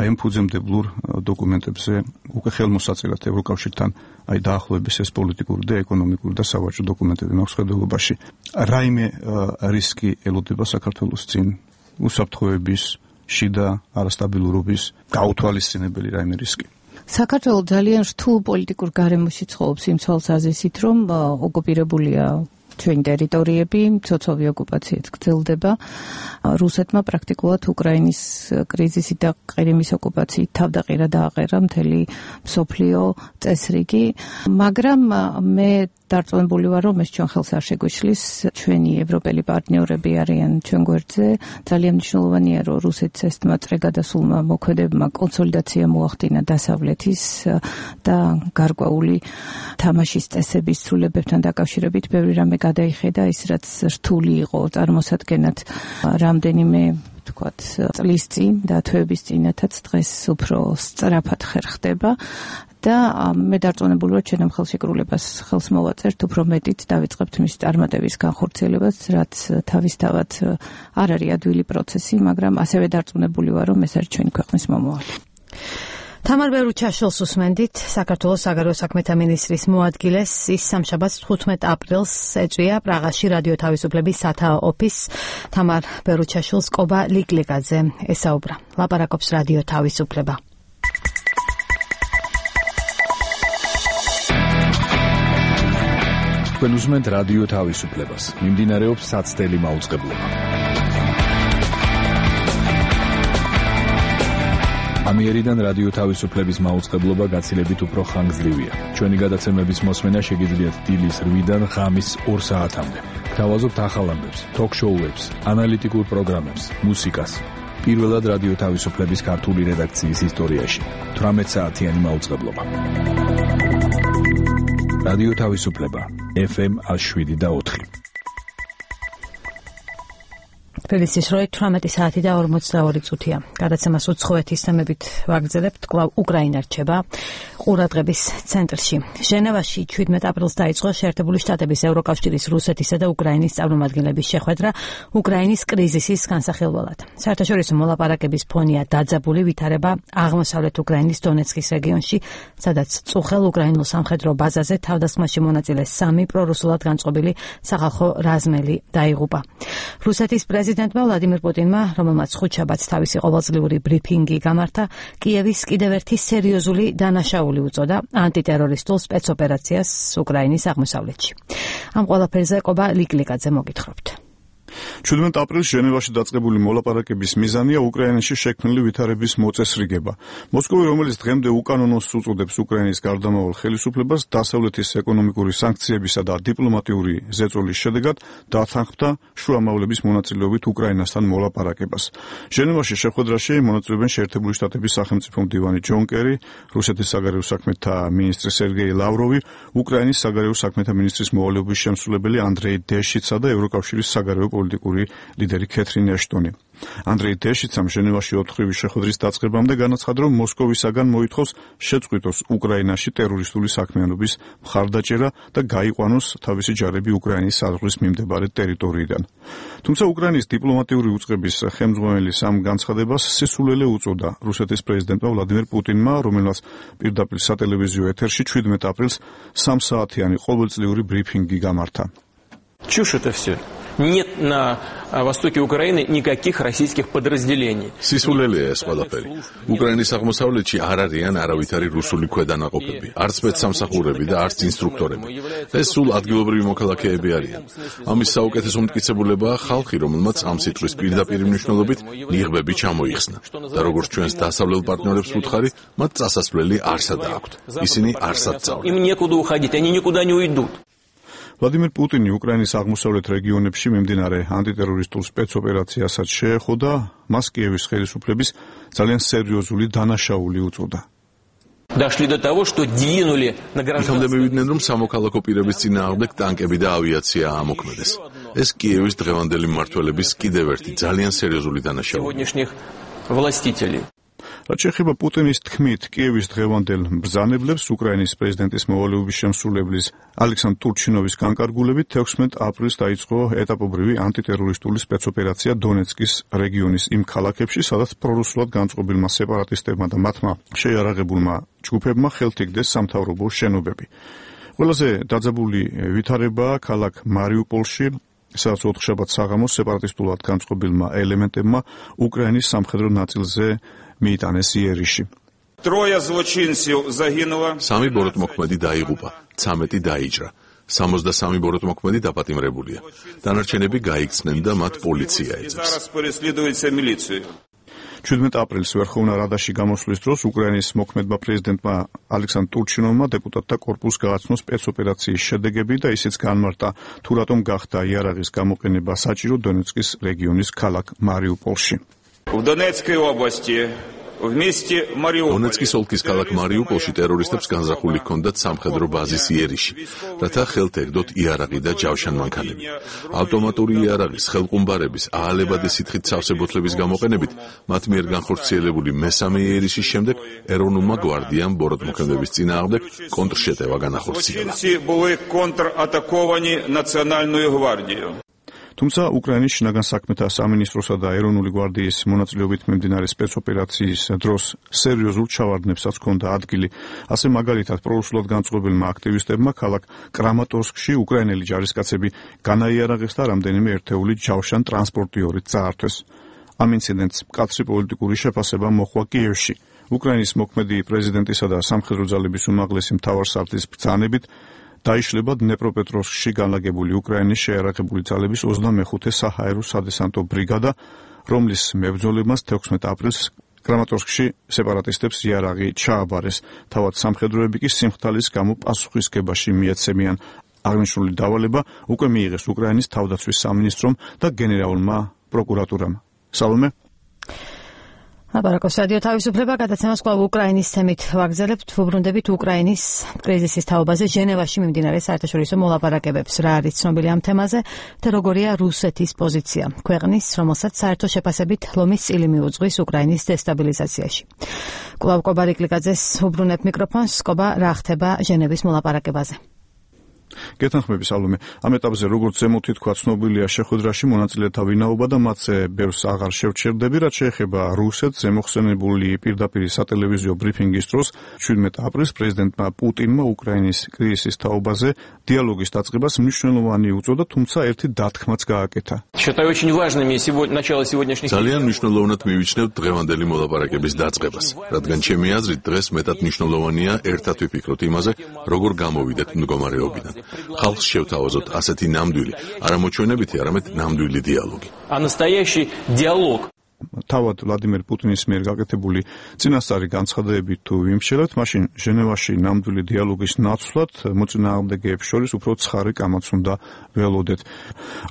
აი ამ ფუძემდებლურ დოკუმენტებზე უკვე ხელმოსაწერად ევროკავშირთან აი დაახლოების ეს პოლიტიკური და ეკონომიკური და სავაჭრო დოკუმენტები მაქვს ხედელობაში. რაიმე რისკი ელოდება საქართველოს წინ უსაფრთხოების შიდა არასტაბილურობის გაუთვალისწინებელი რაიმე რისკი. საქართველო ძალიან რთულ პოლიტიკურ გარემოში ცხოვრობს იმ თვალსაზრისით, რომ ოკუპირებულია ჩვენი ტერიტორიები, ცოცხალი ოკუპაციაც გრძელდება. რუსეთმა პრაქტიკულად უკრაინის კრიზისი და ყირიმის ოკუპაციით თავდაყირა დააყერა მთელი მსოფლიო წესრიგი, მაგრამ მე დარწმუნებული ვარ, რომ ეს ჩვენ ხელს არ შეგვეშლის. ჩვენი ევროპელი პარტნიორები არიან ჩვენ გვერდზე. ძალიან მნიშვნელოვანია, რომ რუსეთს ეს მაწრე გადასულმა მოქმედებმა კონსოლიდაცია მოახდინა დასავლეთის და გარკვეული თამაშის წესების ცვლილებებთან დაკავშირებით ბევრი რამე გადაიხედა, ის რაც რთული იყო წარმოსადგენად რამდენიმე თქვათ წლის წინ და თვეების წინათაც დღეს უფრო სწრაფად ხერხდება. და მე დარწმუნებული ვარ, ჩვენ ამ ხელშეკრულებას ხელს მოვაწერთ, უფრო მეტით დავიწყებთ მის წარმატების განხორციელებას, რაც თავისთავად არ არის ადვილი პროცესი, მაგრამ ასევე დარწმუნებული ვარ, რომ ეს არის ჩვენი ქვეყნის მომავალი. თამარ ბერუჩაშვილს უსმენდით, საქართველოს საგარეო საქმეთა მინისტრის მოადგილეს, ის სამშაბათს 15 აპრილს ეწვია პრაღაში რადიო თავისუფლების სათაო ოფისს. თამარ ბერუჩაშვილს კობა ლიკლიკაძე ესაუბრა. ლაპარაკობს რადიო თავისუფლება. თქვენ უსმენთ რადიო თავისუფლებას. მიმდინარეობს საცდელი მაუწყებლობა. ამიერიდან რადიო თავისუფლების მაუწყებლობა გაცილებით უფრო ხანგრძლივია. ჩვენი გადაცემების მოსმენა შეგიძლიათ დილის 8-დან ღამის 2 საათამდე. გთავაზობთ ახალ ამბებს, ток-შოუებს, ანალიტიკურ პროგრამებს, მუსიკას. პირველად რადიო თავისუფლების ქართული რედაქციის ისტორიაში 18 საათიანი მაუწყებლობა. რადიო თავისუფლება FM 107.4. თბილისის როი 18 საათი და 42 წუთია. გადაცემას უცხოეთის თემებით ვაგრძელებთ. კვლავ უკრაინა რჩება ყურადღების ცენტრში. ჟენევაში 17 აპრილს დაიწყო შეერთებული შტატების ევროკავშირის რუსეთისა და უკრაინის წარმომადგენლების შეხვედრა უკრაინის კრიზისის განსახილველად. საერთაშორისო მოლაპარაკების ფონია დაძაბული ვითარება აღმოსავლეთ უკრაინის დონეცკის რეგიონში, სადაც წუხელ უკრაინულ სამხედრო ბაზაზე თავდასხმაში მონაწილე 3 პრორუსულად განწყობილი სახალხო რაზმელი დაიღუპა. რუსეთის პრეზიდენტმა ვლადიმირ პუტინმა, რომელმაც ხუთშაბათს თავისი ყოველწლიური ბრიფინგი გამართა, კიევის კიდევ ერთი სერიოზული დანაშაული უწოდა ანტიტერორისტულ სპეცოპერაციას უკრაინის აღმოსავლეთში. ამ ყველაფერზე ყობა ლიკლიკაძე მოგითხრობთ. 17 აპრილს ჟენევაში დაწყებული მოლაპარაკების მიზანია უკრაინაში შექმნილი ვითარების მოწესრიგება. მოსკოვი, რომელიც დღემდე უკანონოს უწოდებს უკრაინის გარდამავალ ხელისუფლებას, დასავლეთის ეკონომიკური სანქციებისა და დიპლომატიური ზეწოლის შედეგად დათანხმდა შუამავლების მონაწილეობით უკრაინასთან მოლაპარაკებას. ჟენევაში შეხვედრაში მონაწილეობენ შეერთებული შტატების სახელმწიფო მდივანი ჯონ კერი, რუსეთის საგარეო საქმეთა მინისტრი სერგეი ლავროვი, უკრაინის საგარეო საქმეთა მინისტრის მოვალეობის შემსრულებელი ანდრეი დეშიცა და ევროკავშირის საგარეო პოლიტიკური ლიდერი კეთრინ ეშტონი. ანდრეი დეშიცამ ჟენევაში 4-ივი შეხვედრის დაწყებამდე განაცხადა, რომ მოსკოვისაგან მოითხოვს შეწყვიტოს უკრაინაში ტერორისტული საქმიანობის მხარდაჭერა და გაიყვანოს თავისი ჯარები უკრაინის საზღვრის მიმდებარე ტერიტორიიდან. თუმცა უკრაინის დიპლომატიური უწყების ხელმძღვანელი ამ განცხადებას სისულელე უწოდა რუსეთის პრეზიდენტმა ვლადიმირ პუტინმა, რომელმაც პირდაპირ სატელევიზიო ეთერში 17 აპრილს 3 საათიანი ყოველწლიური ბრიფინგი გამართა. Чушь это все. нет на востоке Украины никаких российских подразделений. სისულელია ეს ყველაფერი. უკრაინის აღმოსავლეთში არ არიან არავითარი რუსული ქვედანაყოფები, არც სპეცსამსახურები და არც ინსტრუქტორები. ეს სულ ადგილობრივი მოქალაქეები არიან. ამის საუკეთესო მტკიცებულებაა ხალხი, რომელმაც ამ სიტყვის პირდაპირ მნიშვნელობით ნიღბები ჩამოიხსნა. და როგორც ჩვენს დასავლელ პარტნიორებს ვუთხარი, მათ წასასვლელი არსად აქვთ. ისინი არსად წავდნენ. Им некуда уходить, они никуда не уйдут. ვლადიმერ პუტინი უკრაინის აღმოსავლეთ რეგიონებში მიმდინარე ანტიტერორისტულ სპეცოპერაციასაც შეეხო და მას კიევის ხელისუფლების ძალიან სერიოზული დანაშაული უწოდა. Дошли до того, что двинули на გრანტამდე მივიდნენ, რომ სამოქალაქო პირების წინააღმდეგ ტანკები და ავიაცია ამოქმედეს. ეს კიევის დღევანდელი მმართველების კიდევ ერთი ძალიან სერიოზული დანაშაული. сегодняшних властителей. რაც შეეხება პუტინის თქმით კიევის დღევანდელ ბრძანებლებს, უკრაინის პრეზიდენტის მოვალეობის შემსრულებლის ალექსანდრ ტურჩინოვის განკარგულებით 16 აპრილს დაიწყო ეტაპობრივი ანტიტერორისტული სპეცოპერაცია დონეცკის რეგიონის იმ ქალაქებში, სადაც პრორუსულად განწყობილმა სეპარატისტებმა და მათმა შეიარაღებულმა ჯგუფებმა ხელთ იგდეს სამთავრობო შენობები. ყველაზე დაძაბული ვითარებაა ქალაქ მარიუპოლში, სადაც ოთხშაბათ საღამოს სეპარატისტულად განწყობილმა ელემენტებმა უკრაინის სამხედრო ნაწილზე მიიტანეს იერიში. სამი ბოროტმოქმედი დაიღუპა, 13 დაიჭრა. 63 ბოროტმოქმედი დაპატიმრებულია. დანარჩენები გაიქცნენ და მათ პოლიცია ეძებს. 17 აპრილს ვერხოვნა რადაში გამოსვლის დროს უკრაინის მოქმედმა პრეზიდენტმა ალექსანდრ ტურჩინოვმა დეპუტატთა კორპუსს გააცნო სპეცოპერაციის შედეგები და ისიც განმარტა თუ რატომ გახდა იარაღის გამოყენება საჭირო დონეცკის რეგიონის ქალაქ მარიუპოლში. დონეცკის ოლქის ქალაქ მარიუპოლში ტერორისტებს განზრახული ჰქონდათ სამხედრო ბაზის იერიში, რათა ხელთ ეგდოთ იარაღი და ჯავშანმანქანები. ავტომატური იარაღის, ხელყუმბარების, აალებადი სითხით სავსებოთლების გამოყენებით მათ მიერ განხორციელებული მესამე იერიშის შემდეგ ეროვნულმა გვარდიამ ბოროტმოქმედების წინააღმდეგ კონტრშეტევა განახორციელა. თუმცა უკრაინის შინაგან საქმეთა სამინისტროსა და ეროვნული გვარდიის მონაწილეობით მიმდინარე სპეცოპერაციის დროს სერიოზულ ჩავარდნებსაც ჰქონდა ადგილი. ასე მაგალითად პრორუსულად განწყობილმა აქტივისტებმა ქალაქ კრამატორსკში უკრაინელი ჯარისკაცები განაიარაღეს და რამდენიმე ერთეული ჯავშან ტრანსპორტიორით წაართვეს. ამ ინციდენტს მკაცრი პოლიტიკური შეფასება მოჰყვა კიევში. უკრაინის მოქმედი პრეზიდენტისა და სამხედრო ძალების უმაღლესი მთავარსარდლის ბრძანებით დაიშლება დნეპროპეტროვსკში განლაგებული უკრაინის შეიარაღებული ძალების 25-ე საჰაერო სადესანტო ბრიგადა, რომლის მებრძოლებას 16 აპრილს კრამატორსკში სეპარატისტებს იარაღი ჩააბარეს. თავად სამხედროები კი სიმხდალის გამო პასუხისგებაში მიეცემიან. აღნიშნული დავალება უკვე მიიღეს უკრაინის თავდაცვის სამინისტრომ და გენერალურმა პროკურატურამ. სალომე აბარაკოს რადიო თავისუფლება გადაცემას კვლავ უკრაინის თემით ვაგრძელებთ. ვუბრუნდებით უკრაინის კრიზისის თაობაზე ჟენევაში მიმდინარე საერთაშორისო მოლაპარაკებებს. რა არის ცნობილი ამ თემაზე და როგორია რუსეთის პოზიცია ქვეყნის, რომელსაც საერთო შეფასებით ლომის წილი მიუძღვის უკრაინის დესტაბილიზაციაში. კვლავ კობა ლიკლიკაძეს ვუბრუნებ მიკროფონს. კობა, რა ხდება ჟენევის მოლაპარაკებაზე? გეთანხმები სალომე. ამ ეტაპზე როგორც ზემოთი თქვა ცნობილია შეხვედრაში მონაწილეთა ვინაობა და მათზე ბევრს აღარ შევჩერდები, რაც შეეხება რუსეთს. ზემოხსენებული პირდაპირ სატელევიზიო ბრიფინგის დროს 17 აპრილს პრეზიდენტმა პუტინმა უკრაინის კრიზისის თაობაზე დიალოგის დაწყებას მნიშვნელოვანი უწოდა, თუმცა ერთი დათქმაც გააკეთა. ძალიან მნიშვნელოვნად მივიჩნევთ დღევანდელი მოლაპარაკების დაწყებას, რადგან ჩემი აზრით დღეს მეტად მნიშვნელოვანია ერთად ვიფიქროთ იმაზე, როგორ გამოვიდეთ მდგომარეობიდან. ხალხს შევთავაზოთ ასეთი ნამდვილი, არა მოჩვენებითი, არამედ ნამდვილი დიალოგი. თავად ვლადიმერ პუტინის მიერ გაკეთებული წინასწარი განცხადებებით თუ ვიმსჯელებთ, მაშინ ჟენევაში ნამდვილი დიალოგის ნაცვლად მოწინააღმდეგეებს შორის უფრო ცხარი კამაც უნდა ველოდეთ.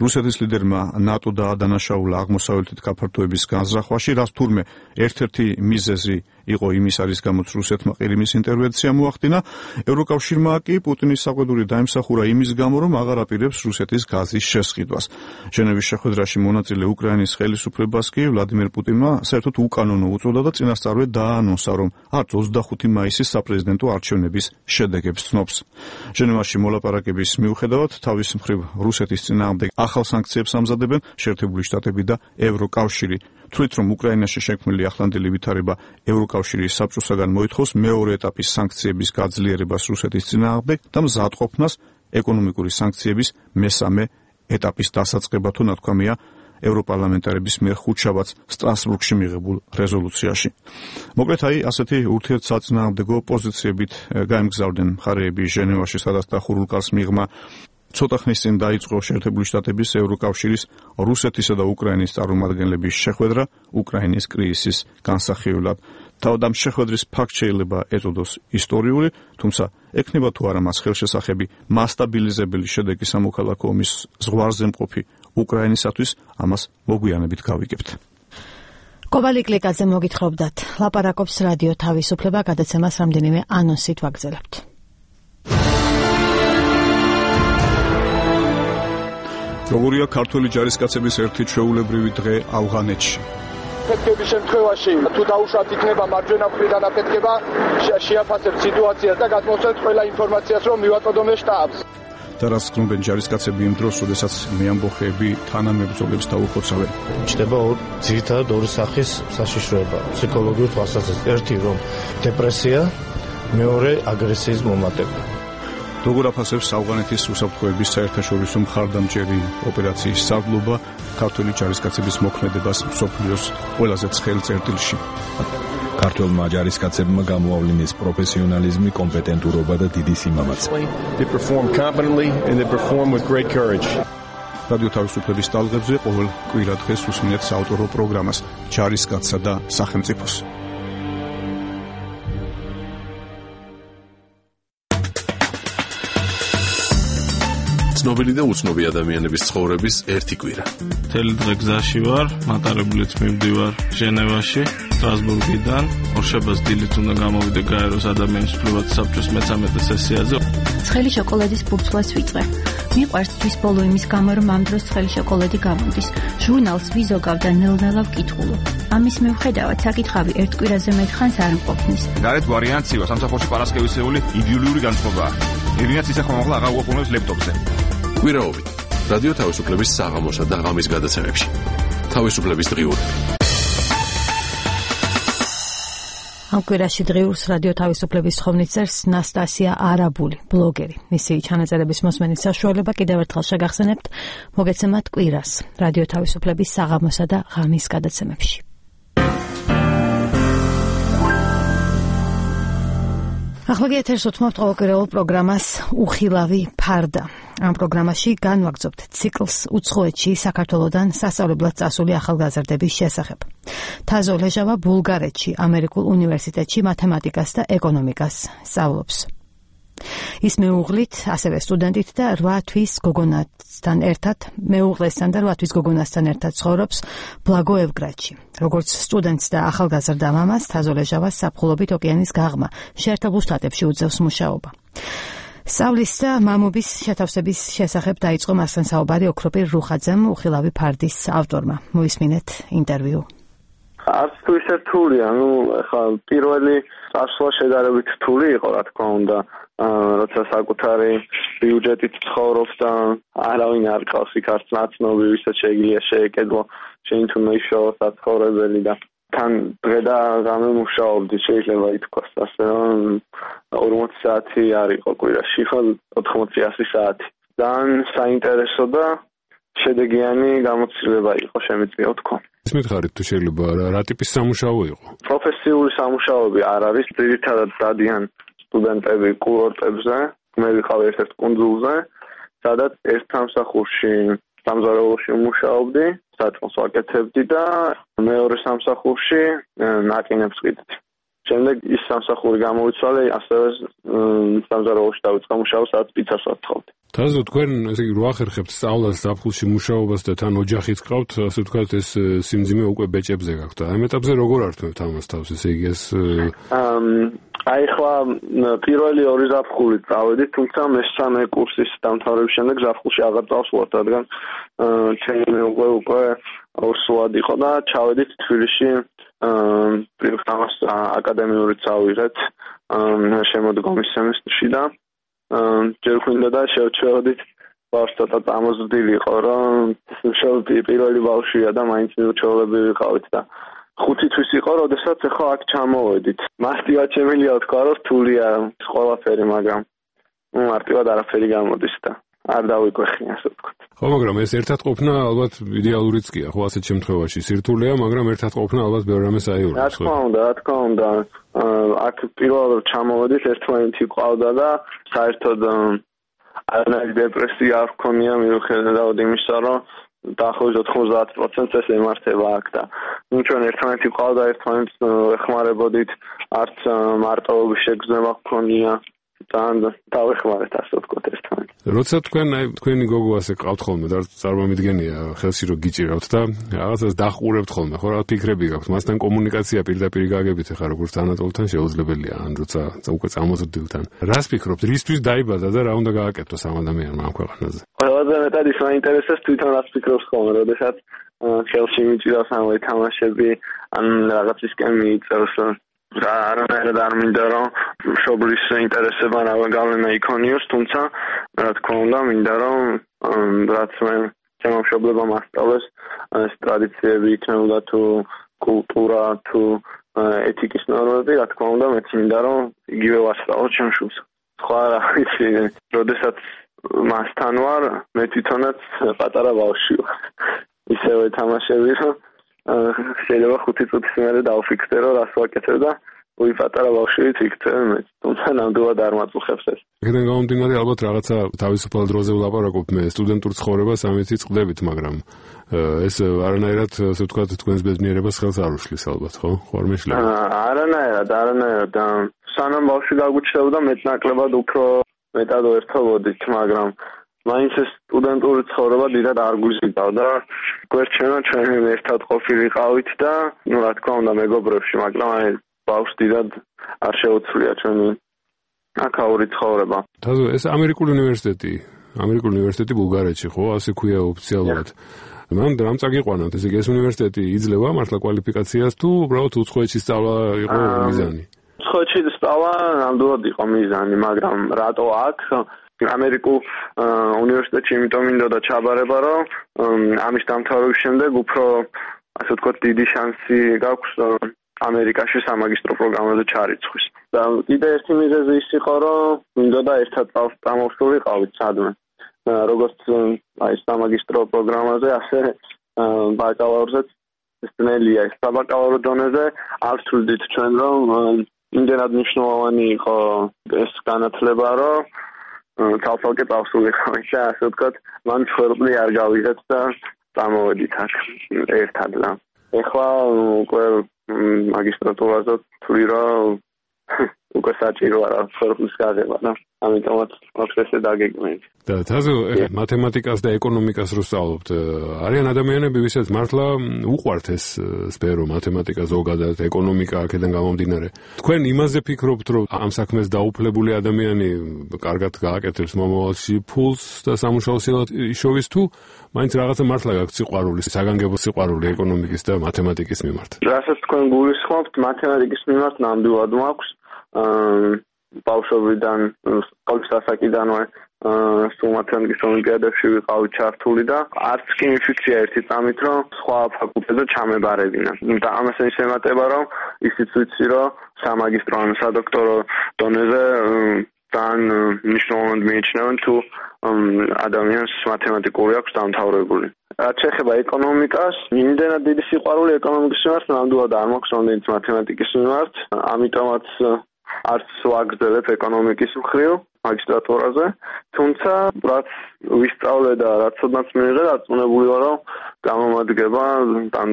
რუსეთის ლიდერმა ნატო დაადანაშაულა აღმოსავლეთით გაფართოების განზრახვაში, რაც თურმე ერთ-ერთი მიზეზი იყო იმის არის გამოც რუსეთმა ყირიმის ინტერვენცია მოახდინა. ევროკავშირმა კი პუტინის საყვედური დაიმსახურა იმის გამო, რომ აღარ აპირებს რუსეთის გაზის შესყიდვას. ჟენევის შეხვედრაში მონაწილე უკრაინის ხელისუფლებას კი ვლადიმერ პუტინმა საერთოდ უკანონო უწოდა და წინასწარვე დაანონსა, რომ არც 25 მაისის საპრეზიდენტო არჩევნების შედეგებს ცნობს. ჟენევაში მოლაპარაკების მიუხედავად თავის მხრივ რუსეთის წინააღმდეგ ახალ სანქციებს ამზადებენ შეერთებული შტატები და ევროკავშირი. თვლით, რომ უკრაინაში შექმნილი ახლანდელი ვითარება ევროკავშირის საბჭოსაგან მოითხოვს მეორე ეტაპის სანქციების გაძლიერებას რუსეთის წინააღმდეგ და მზადყოფნას ეკონომიკური სანქციების მესამე ეტაპის დასაწყება თუ ნათქვამია ევროპარლამენტარების მიერ ხუთშაბათს სტრასბურგში მიღებულ რეზოლუციაში. მოკლედ ასეთი ურთიერთსაწინააღმდეგო პოზიციებით გაემგზავრდნენ მხარეები ჟენევაში, სადაც დახურულ კარს მიღმა ცოტა ხნის წინ დაიწყო შეერთებული შტატების, ევროკავშირის, რუსეთისა და უკრაინის წარმომადგენლების შეხვედრა უკრაინის კრიზისის განსახილველად. თავად ამ შეხვედრის ფაქტ შეიძლება ეწოდოს ისტორიული, თუმცა ექნება თუ არა მას ხელშესახები მასტაბილიზებელი შედეგი სამოქალაქო ომის ზღვარზე მყოფი უკრაინისათვის, ამას მოგვიანებით გავიგებთ. კობალი კლიკაძე მოგითხრობდათ. ლაპარაკობს რადიო თავისუფლება, გადაცემას რამდენიმე ანონსით ვაგრძელებთ. როგორია ქართველი ჯარისკაცების ერთი ჩვეულებრივი დღე ავღანეთში. ფეთქების შემთხვევაში თუ დაუშვათ იქნება მარჯვენა მხრიდან აფეთქება, შეაფასებთ სიტუაციას და გადმოსცემთ ყველა ინფორმაციას, რომ მივაწოდოთ შტაბს. და რაც გნობენ ჯარისკაცები იმ დროს, როდესაც მეამბოხეები თანამებრძოლებს დაუხოცავენ. ჩნდება ძირითადად ორი სახის საშიშროება ფსიქოლოგიურ თვალსაზრისით. ერთი რომ დეპრესია, მეორე აგრესიის მომატება. როგორ აფასებს ავღანეთის უსაფრთხოების საერთაშორისო მხარდამჭერი ოპერაციის სარდლობა ქართველი ჯარისკაცების მოქმედებას მსოფლიოს ყველაზე ცხელ წერტილში. ქართველმა ჯარისკაცებმა გამოავლინეს პროფესიონალიზმი, კომპეტენტურობა და დიდი სიმამაცე. რადიო თავისუფლების ტალღებზე ყოველ კვირა დღეს უსმინეთ საავტორო პროგრამას ჯარისკაცსა და სახელმწიფოს. ცნობილი და უცნობი ადამიანების ცხოვრების ერთი კვირა. მთელი დღე გზაში ვარ, მატარებლით მივდივარ ჟენევაში, სტრასბურგიდან. ორშაბათს დილით უნდა გამოვიდე გაეროს ადამიანის უფლებათა საბჭოს მე-13 სესიაზე. ცხელი შოკოლადის ფურცლას ვიწყე. მიყვარს თვის ბოლო იმის გამო, რომ ამ დროს ცხელი შოკოლადი გამოდის. ჟურნალს ვიზოგავ და ნელ-ნელა ვკითხულობ. ამის მიუხედავად საკითხავი ერთ კვირაზე მეტხანს არ მყოფნის. გარეთ ვარიანციაა სამსახურში პარასკევისეული იდეოლოგიური განწყობაა. ირინაც ისე ხომაღლა აღარ უყურებს ლეპტოპზე. კვირაობით რადიო თავისუფლების საღამოსა და ღამის გადაცემებში. თავისუფლების დღიურები. ამ კვირაში დღიურს რადიო თავისუფლების თხოვნით წერს ნასტასია არაბული, ბლოგერი. მისი ჩანაწერების მოსმენის საშუალება კიდევ ერთხელ შეგახსენებთ, მოგეცემათ კვირას რადიო თავისუფლების საღამოსა და ღამის გადაცემებში. ახლა ეთერს უთმობთ ყოველკვირეულ პროგრამას უხილავი ფარდა. ამ პროგრამაში განვაგრძობთ ციკლს უცხოეთში საქართველოდან სასწავლებლად წასული ახალგაზრდების შესახებ. თაზო ლეჟავა ბულგარეთში, ამერიკულ უნივერსიტეტში მათემატიკას და ეკონომიკას სწავლობს. ის მეუღლით, ასევე სტუდენტით და 8 თვის გოგონასთან ერთად ცხოვრობს ბლაგოევგრადში. როგორც სტუდენტს და ახალგაზრდა მამას, თაზო ლეჟავას საფრთხულობით ოკეანის გაღმა შეერთებულ შტატებში უძევს მუშაობა. სწავლის და მამობის შეთავსების შესახებ დაიწყო მასთან საუბარი ოქროპირ რუხაძემ, უხილავი ფარდის ავტორმა. მოისმინეთ ინტერვიუ. არც თუ ისე რთულია, ახლა პირველი წასვლა შედარებით რთული იყო, რა თქმა უნდა, როცა საკუთარი ბიუჯეტით ცხოვრობს და არავინ არ ყავს იქ არც ნაცნობი, ვისაც შეიძლება შეეკედო, შენ თუ მეშავა საცხოვრებელი და თან დღე და ღამე მუშაობდი, შეიძლება ითქვას ასე, რომ 40 საათი არ იყო კვირაში, ხო 80-100 საათი. ძალიან საინტერესო და შედეგიანი გამოცდილება იყო, შემიძლია ვთქვა. მითხარით თუ შეიძლება რა ტიპის სამუშაო იყო? პროფესიული სამუშაოები არ არის, ძირითადად დადიან სტუდენტები კურორტებზე, მე ვიყავ ერთ-ერთ კუნძულზე, სადაც ერთ სამსახურში სამზარეულოში მუშაობდი, საწმოს ვაკეთებდი და მეორე სამსახურში ნაკინებს ყიდდი. შემდეგ ის სამსახური გამოვიცვალე, ასევე სამზარეულოში დავიწყე მუშაობა, სადაც პიცას ვათხოვდი. თაზო თქვენ ესე იგი რო ახერხებთ სწავლას ზაფხულში მუშაობას და თან ოჯახიც გყავთ, ასე ვთქვათ, ეს სიმძიმე უკვე ბეჭებზე გაქვთ. ამ ეტაპზე როგორ ართმევთ ამას თავს, ესე იგი ეს აი ხლა პირველი ორი ზაფხული წავედი, თუმცა მესამე კურსის დამთავრების შემდეგ ზაფხულში აღარ წავსვლათ, რადგან ჩემი მეუღლე უკვე ორსულად იყო და ჩავედით თბილისში პრიორიტეტს აკადემიური წავიღეთ შემოდგომის სემესტრში და ჯერ გვინდა და შევჩერდით ბავშვთა წამოზრდილი იყო, რომ პირველი ბავშვია და მაინც მიუჩვეულები ვიყავით და 5 თვის იყო, როდესაც ახლა აქ ჩამოვედით. მარტივად შემიძლია ვთქვა, რომ რთულია ყველაფერი, მაგრამ მარტივად არაფერი გამოდის და არ დავიკვეხნი, ასე ვთქვათ. ხო, მაგრამ ეს ერთად ყოფნა ალბათ იდეალურიც კი, ხო, ასეთ შემთხვევაში სირთულეა, მაგრამ ერთად ყოფნა ალბათ ბევრ რამეს აიურებს. რა თქმა უნდა. აქ პირველად ჩამოვედით, ერთმანეთი ყავდა და საერთოდ არანაირი დეპრესია არ ჰქონია მიუხედავად იმისა, რომ დაახლოებით 90% ეს ემართება აქ და ჩვენ ერთმანეთი ყავდა, ერთმანეთს ეხმარებოდით, არც მარტოობის შეგრძნება ჰქონია. დავეხმარეთ ასე ვთქვათ ერთმანეთს. როცა თქვენი გოგო ასე ყავთ ხოლმე და წარმომიდგენია ხელში რომ გიჭირავთ და რაღაცას დახურებთ ხოლმე, ხო რა ფიქრები გაქვთ? მასთან კომუნიკაცია პირდაპირ გაგებით ახლა როგორც თანატოლთან შეუძლებელია, ან როცა უკვე წამოზრდილთან. რას ფიქრობთ? რისთვის დაიბადა და რა უნდა გააკეთოს ამ ადამიანმა ამ ქვეყანაზე? ყველაზე მეტად ის მაინტერესებს თვითონ რას ფიქრობს ხოლმე, როდესაც ხელში მიჭირავს ამავე თამაშები, ან რაღაცისკენ მიიწევს. არანაირად არ მინდა რომ მშობლის ინტერესება გავლენა იქონიოს, თუმცა რა თქმა უნდა მინდა რომ რაც მე ჩემო მშობლებმა ასწავლეს ეს ტრადიციები იქნებოდა თუ კულტურა თუ ეთიკის ნორმები, რა თქმა უნდა მეც მინდა რომ იგივე ვასწავლო ჩემ შვილს. სხვა რა ვიცი, როდესაც მასთან ვარ, მე თვითონაც პატარა ბავშვი ვარ. ისევე თამაშები რომ შეიძლება 5 წუთის მერე დავფიქრდე რომ რას ვაკეთებ და უი პატარა ბავშვით იქცევ მე, თუმცა ნამდვილად არ მაწუხებს ეს. იქიდან გამომდინარე ალბათ რაღაცა თავისუფალ დროზე ვლაპარაკობ მე სტუდენტურ ცხოვრებას ამით წყდებით, მაგრამ ეს არანაირად ასე ვთქვათ თქვენს ბედნიერებას ხელს არ უშლის ალბათ, ხო? ხარ მეშლება. არანაირად. სანამ ბავშვი გაგვიჩნდებოდა მეტნაკლებად უფრო მეტად ერთობოდით, მაგრამ მაინც ეს სტუდენტური ცხოვრება დიდად არ გვიზიდავდა. გვერდჩენა ჩვენ ერთად ყოფილიყავით და რა თქმა უნდა მეგობრებში, მაგრამ აი ბავშვს დიდად არ შეუცვლია ჩვენი აქაური ცხოვრება. თაზო ეს ამერიკული უნივერსიტეტი ბულგარეთში, ხო? ასე ქვია ოფიციალურად. მან რამ წაგიყვანათ, ესე იგი ეს უნივერსიტეტი იძლევა მართლა კვალიფიკაციას თუ უბრალოდ უცხოეთში სწავლა იყო მიზანი? უცხოეთში სწავლა ნამდვილად იყო მიზანი, მაგრამ რატო აქ ამერიკულ უნივერსიტეტში იმიტომ მინდოდა ჩაბარება, რომ ამის დამთავრების შემდეგ უფრო ასე ვთქვათ დიდი შანსი გაქვს ამერიკაში სამაგისტრო პროგრამაზე ჩარიცხვის. და კიდე ერთი მიზეზი ის იყო, რომ მინდოდა ერთად წამოვსულიყავით სადმე. როგორც აი სამაგისტრო პროგრამაზე, ასე ბაკალავრზეც ძნელია. საბაკალავრო დონეზე არ ვთვლით ჩვენ, რომ იმდენად მნიშვნელოვანი იყო ეს განათლება, რომ ცალ-ცალკე წავსულიყავით და ასე ვთქვათ, მან ჩვეულებრივ არ გავიღეთ და წამოვედით აქ ერთად და ეხლა უკვე მაგისტრატურაზე თვლი რომ უკვე საჭირო არა ხერხის გაღება და ამიტომაც პროცესი დაგეგმეთ. და თაზო მათემატიკას და ეკონომიკას რო სწავლობთ, არიან ადამიანები, ვისაც მართლა უყვართ ეს სფერო, მათემატიკა ზოგადად, ეკონომიკა აქედან გამომდინარე. თქვენ იმაზე ფიქრობთ, რომ ამ საქმეს დაუფლებული ადამიანი კარგად გააკეთებს მომავალში ფულს და სამუშაო სილად იშოვის თუ მაინც რაღაცა მართლა გაქვთ სიყვარული, საგანგებო სიყვარული ეკონომიკის და მათემატიკის მიმართ? რასაც თქვენ გულისხმობთ, მათემატიკის მიმართ ნამდვილად მაქვს. ბავშვობიდან სკოლის ასაკიდანვე სულ მათემატიკის ოლიმპიადებში ვიყავი ჩართული და არც კი მიფიქრია ერთი წამით, რომ სხვა ფაკულტეტზე ჩამებარებინა. და ამას ის ემატება, რომ ისიც ვიცი, რომ სამაგისტრო ან სადოქტორო დონეზე ძალიან მნიშვნელოვნად მიიჩნევენ თუ ადამიანს მათემატიკური აქვს დამთავრებული. რაც შეეხება ეკონომიკას, იმდენად დიდი სიყვარული ეკონომიკის მიმართ ნამდვილად არ მაქვს, რამდენიც მათემატიკის მიმართ, ამიტომაც არც ვაგრძელებ ეკონომიკის მხრივ მაგისტრატურაზე, თუმცა რაც ვისწავლე და რაც ოდნავ მიიღე, დარწმუნებული ვარ, რომ გამომადგება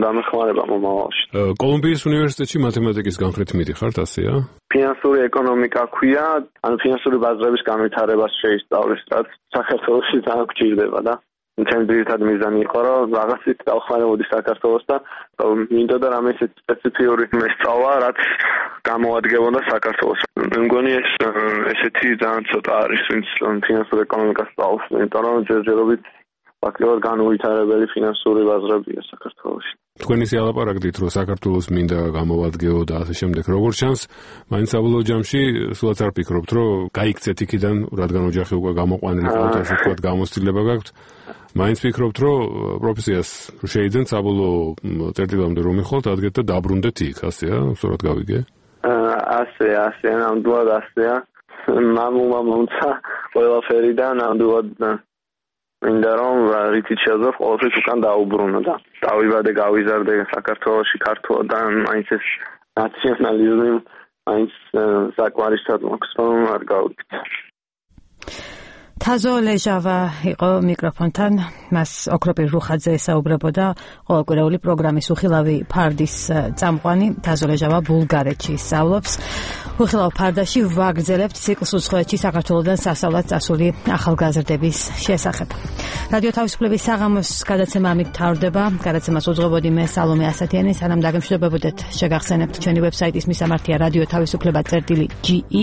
დამეხმარება მომავალში. კოლუმბიის უნივერსიტეტში მათემატიკის განხრით მიდიხართ, ასეა? ფინანსური ეკონომიკა ქვია, ან ფინანსური ბაზრების განვითარებას შეისწავლის, რაც საქართველოში ძალიან გვჭირდება და ჩემი ძირითადი მიზანი იყო, რომ რაღაცით დავხმარებოდი საქართველოს და მინდოდა რამე ისეთი სპეციფიური მესწავლა, რაც გამოადგებოდა საქართველოს. მე მგონი ესეთი ძალიან ცოტა არის, ვინც ფინანსურ ეკონომიკას სწავლობს, იმიტომ რომ ჯერჯერობით ფაქტობრივად განუვითარებელი ფინანსური ბაზრებია საქართველოში. თქვენ ისე ალაპარაკდით, რომ საქართველოს მინდა გამოვადგეო და ასე შემდეგ. როგორც ჩანს, მაინც საბოლოო ჯამში სულაც არ ფიქრობთ, რომ გაიქცეთ იქიდან, რადგან ოჯახი უკვე გამოყვანილი ყავთ, ასე ვთქვათ, გამოცდილება გაქვთ. მაინც ფიქრობთ, რომ პროფესიას შეიძენთ საბოლოო წერტილამდე რომ მიხვალთ, ადგეთ და დაბრუნდეთ იქ, ასეა, სწორად გავიგე? ასე, ნამდვილად ასეა. მამულმა მომცა ყველაფერი და ნამდვილად მინდა რომ რითიც შეძლო ყოველთვის უკან დაუბრუნო და დავიბადე გავიზარდე საქართველოში ქართულიდან მაინც ეს ნაციონალიზმი მაინც საკმარისად მაქვს რომ არ გავიქცე. თაზო ლეჟავა იყო მიკროფონთან, მას ოქროპირ რუხაძე ესაუბრებოდა, ყოველკვირეული პროგრამის უხილავი ფარდის წამყვანი. თაზო ლეჟავა ბულგარეთში სწავლობს. უხილავ ფარდაში ვაგრძელებთ ციკლს უცხოეთში საქართველოსთან სასწავლად წასული ახალგაზრდების შესახებ. რადიო თავისუფლების საღამოს გადაცემა ამით მთავრდება. გადაცემას უძღვებოდი მე სალომე ასათიანი, სანამ დაგემშვიდობებოდეთ, შეგახსენებთ ჩვენი ვებსაიტის მისამართია რადიო თავისუფლება.ge.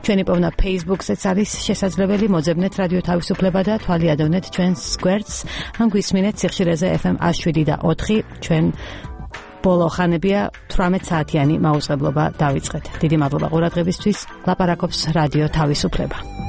ჩვენი პოვნა Facebook-ზეც არის შესაძლებელი. მოძებნეთ რადიო თავისუფლება და თვალიადევნეთ ჩვენს გვერდს. ან გვისმინეთ სიხშირეზე FM 107 და 4. ჩვენ ბოლო ხანებია 18 საათიანი მაუწყებლობა დავიწყეთ. დიდი მადლობა ყურადღებისთვის. ლაპარაკობს რადიო თავისუფლება.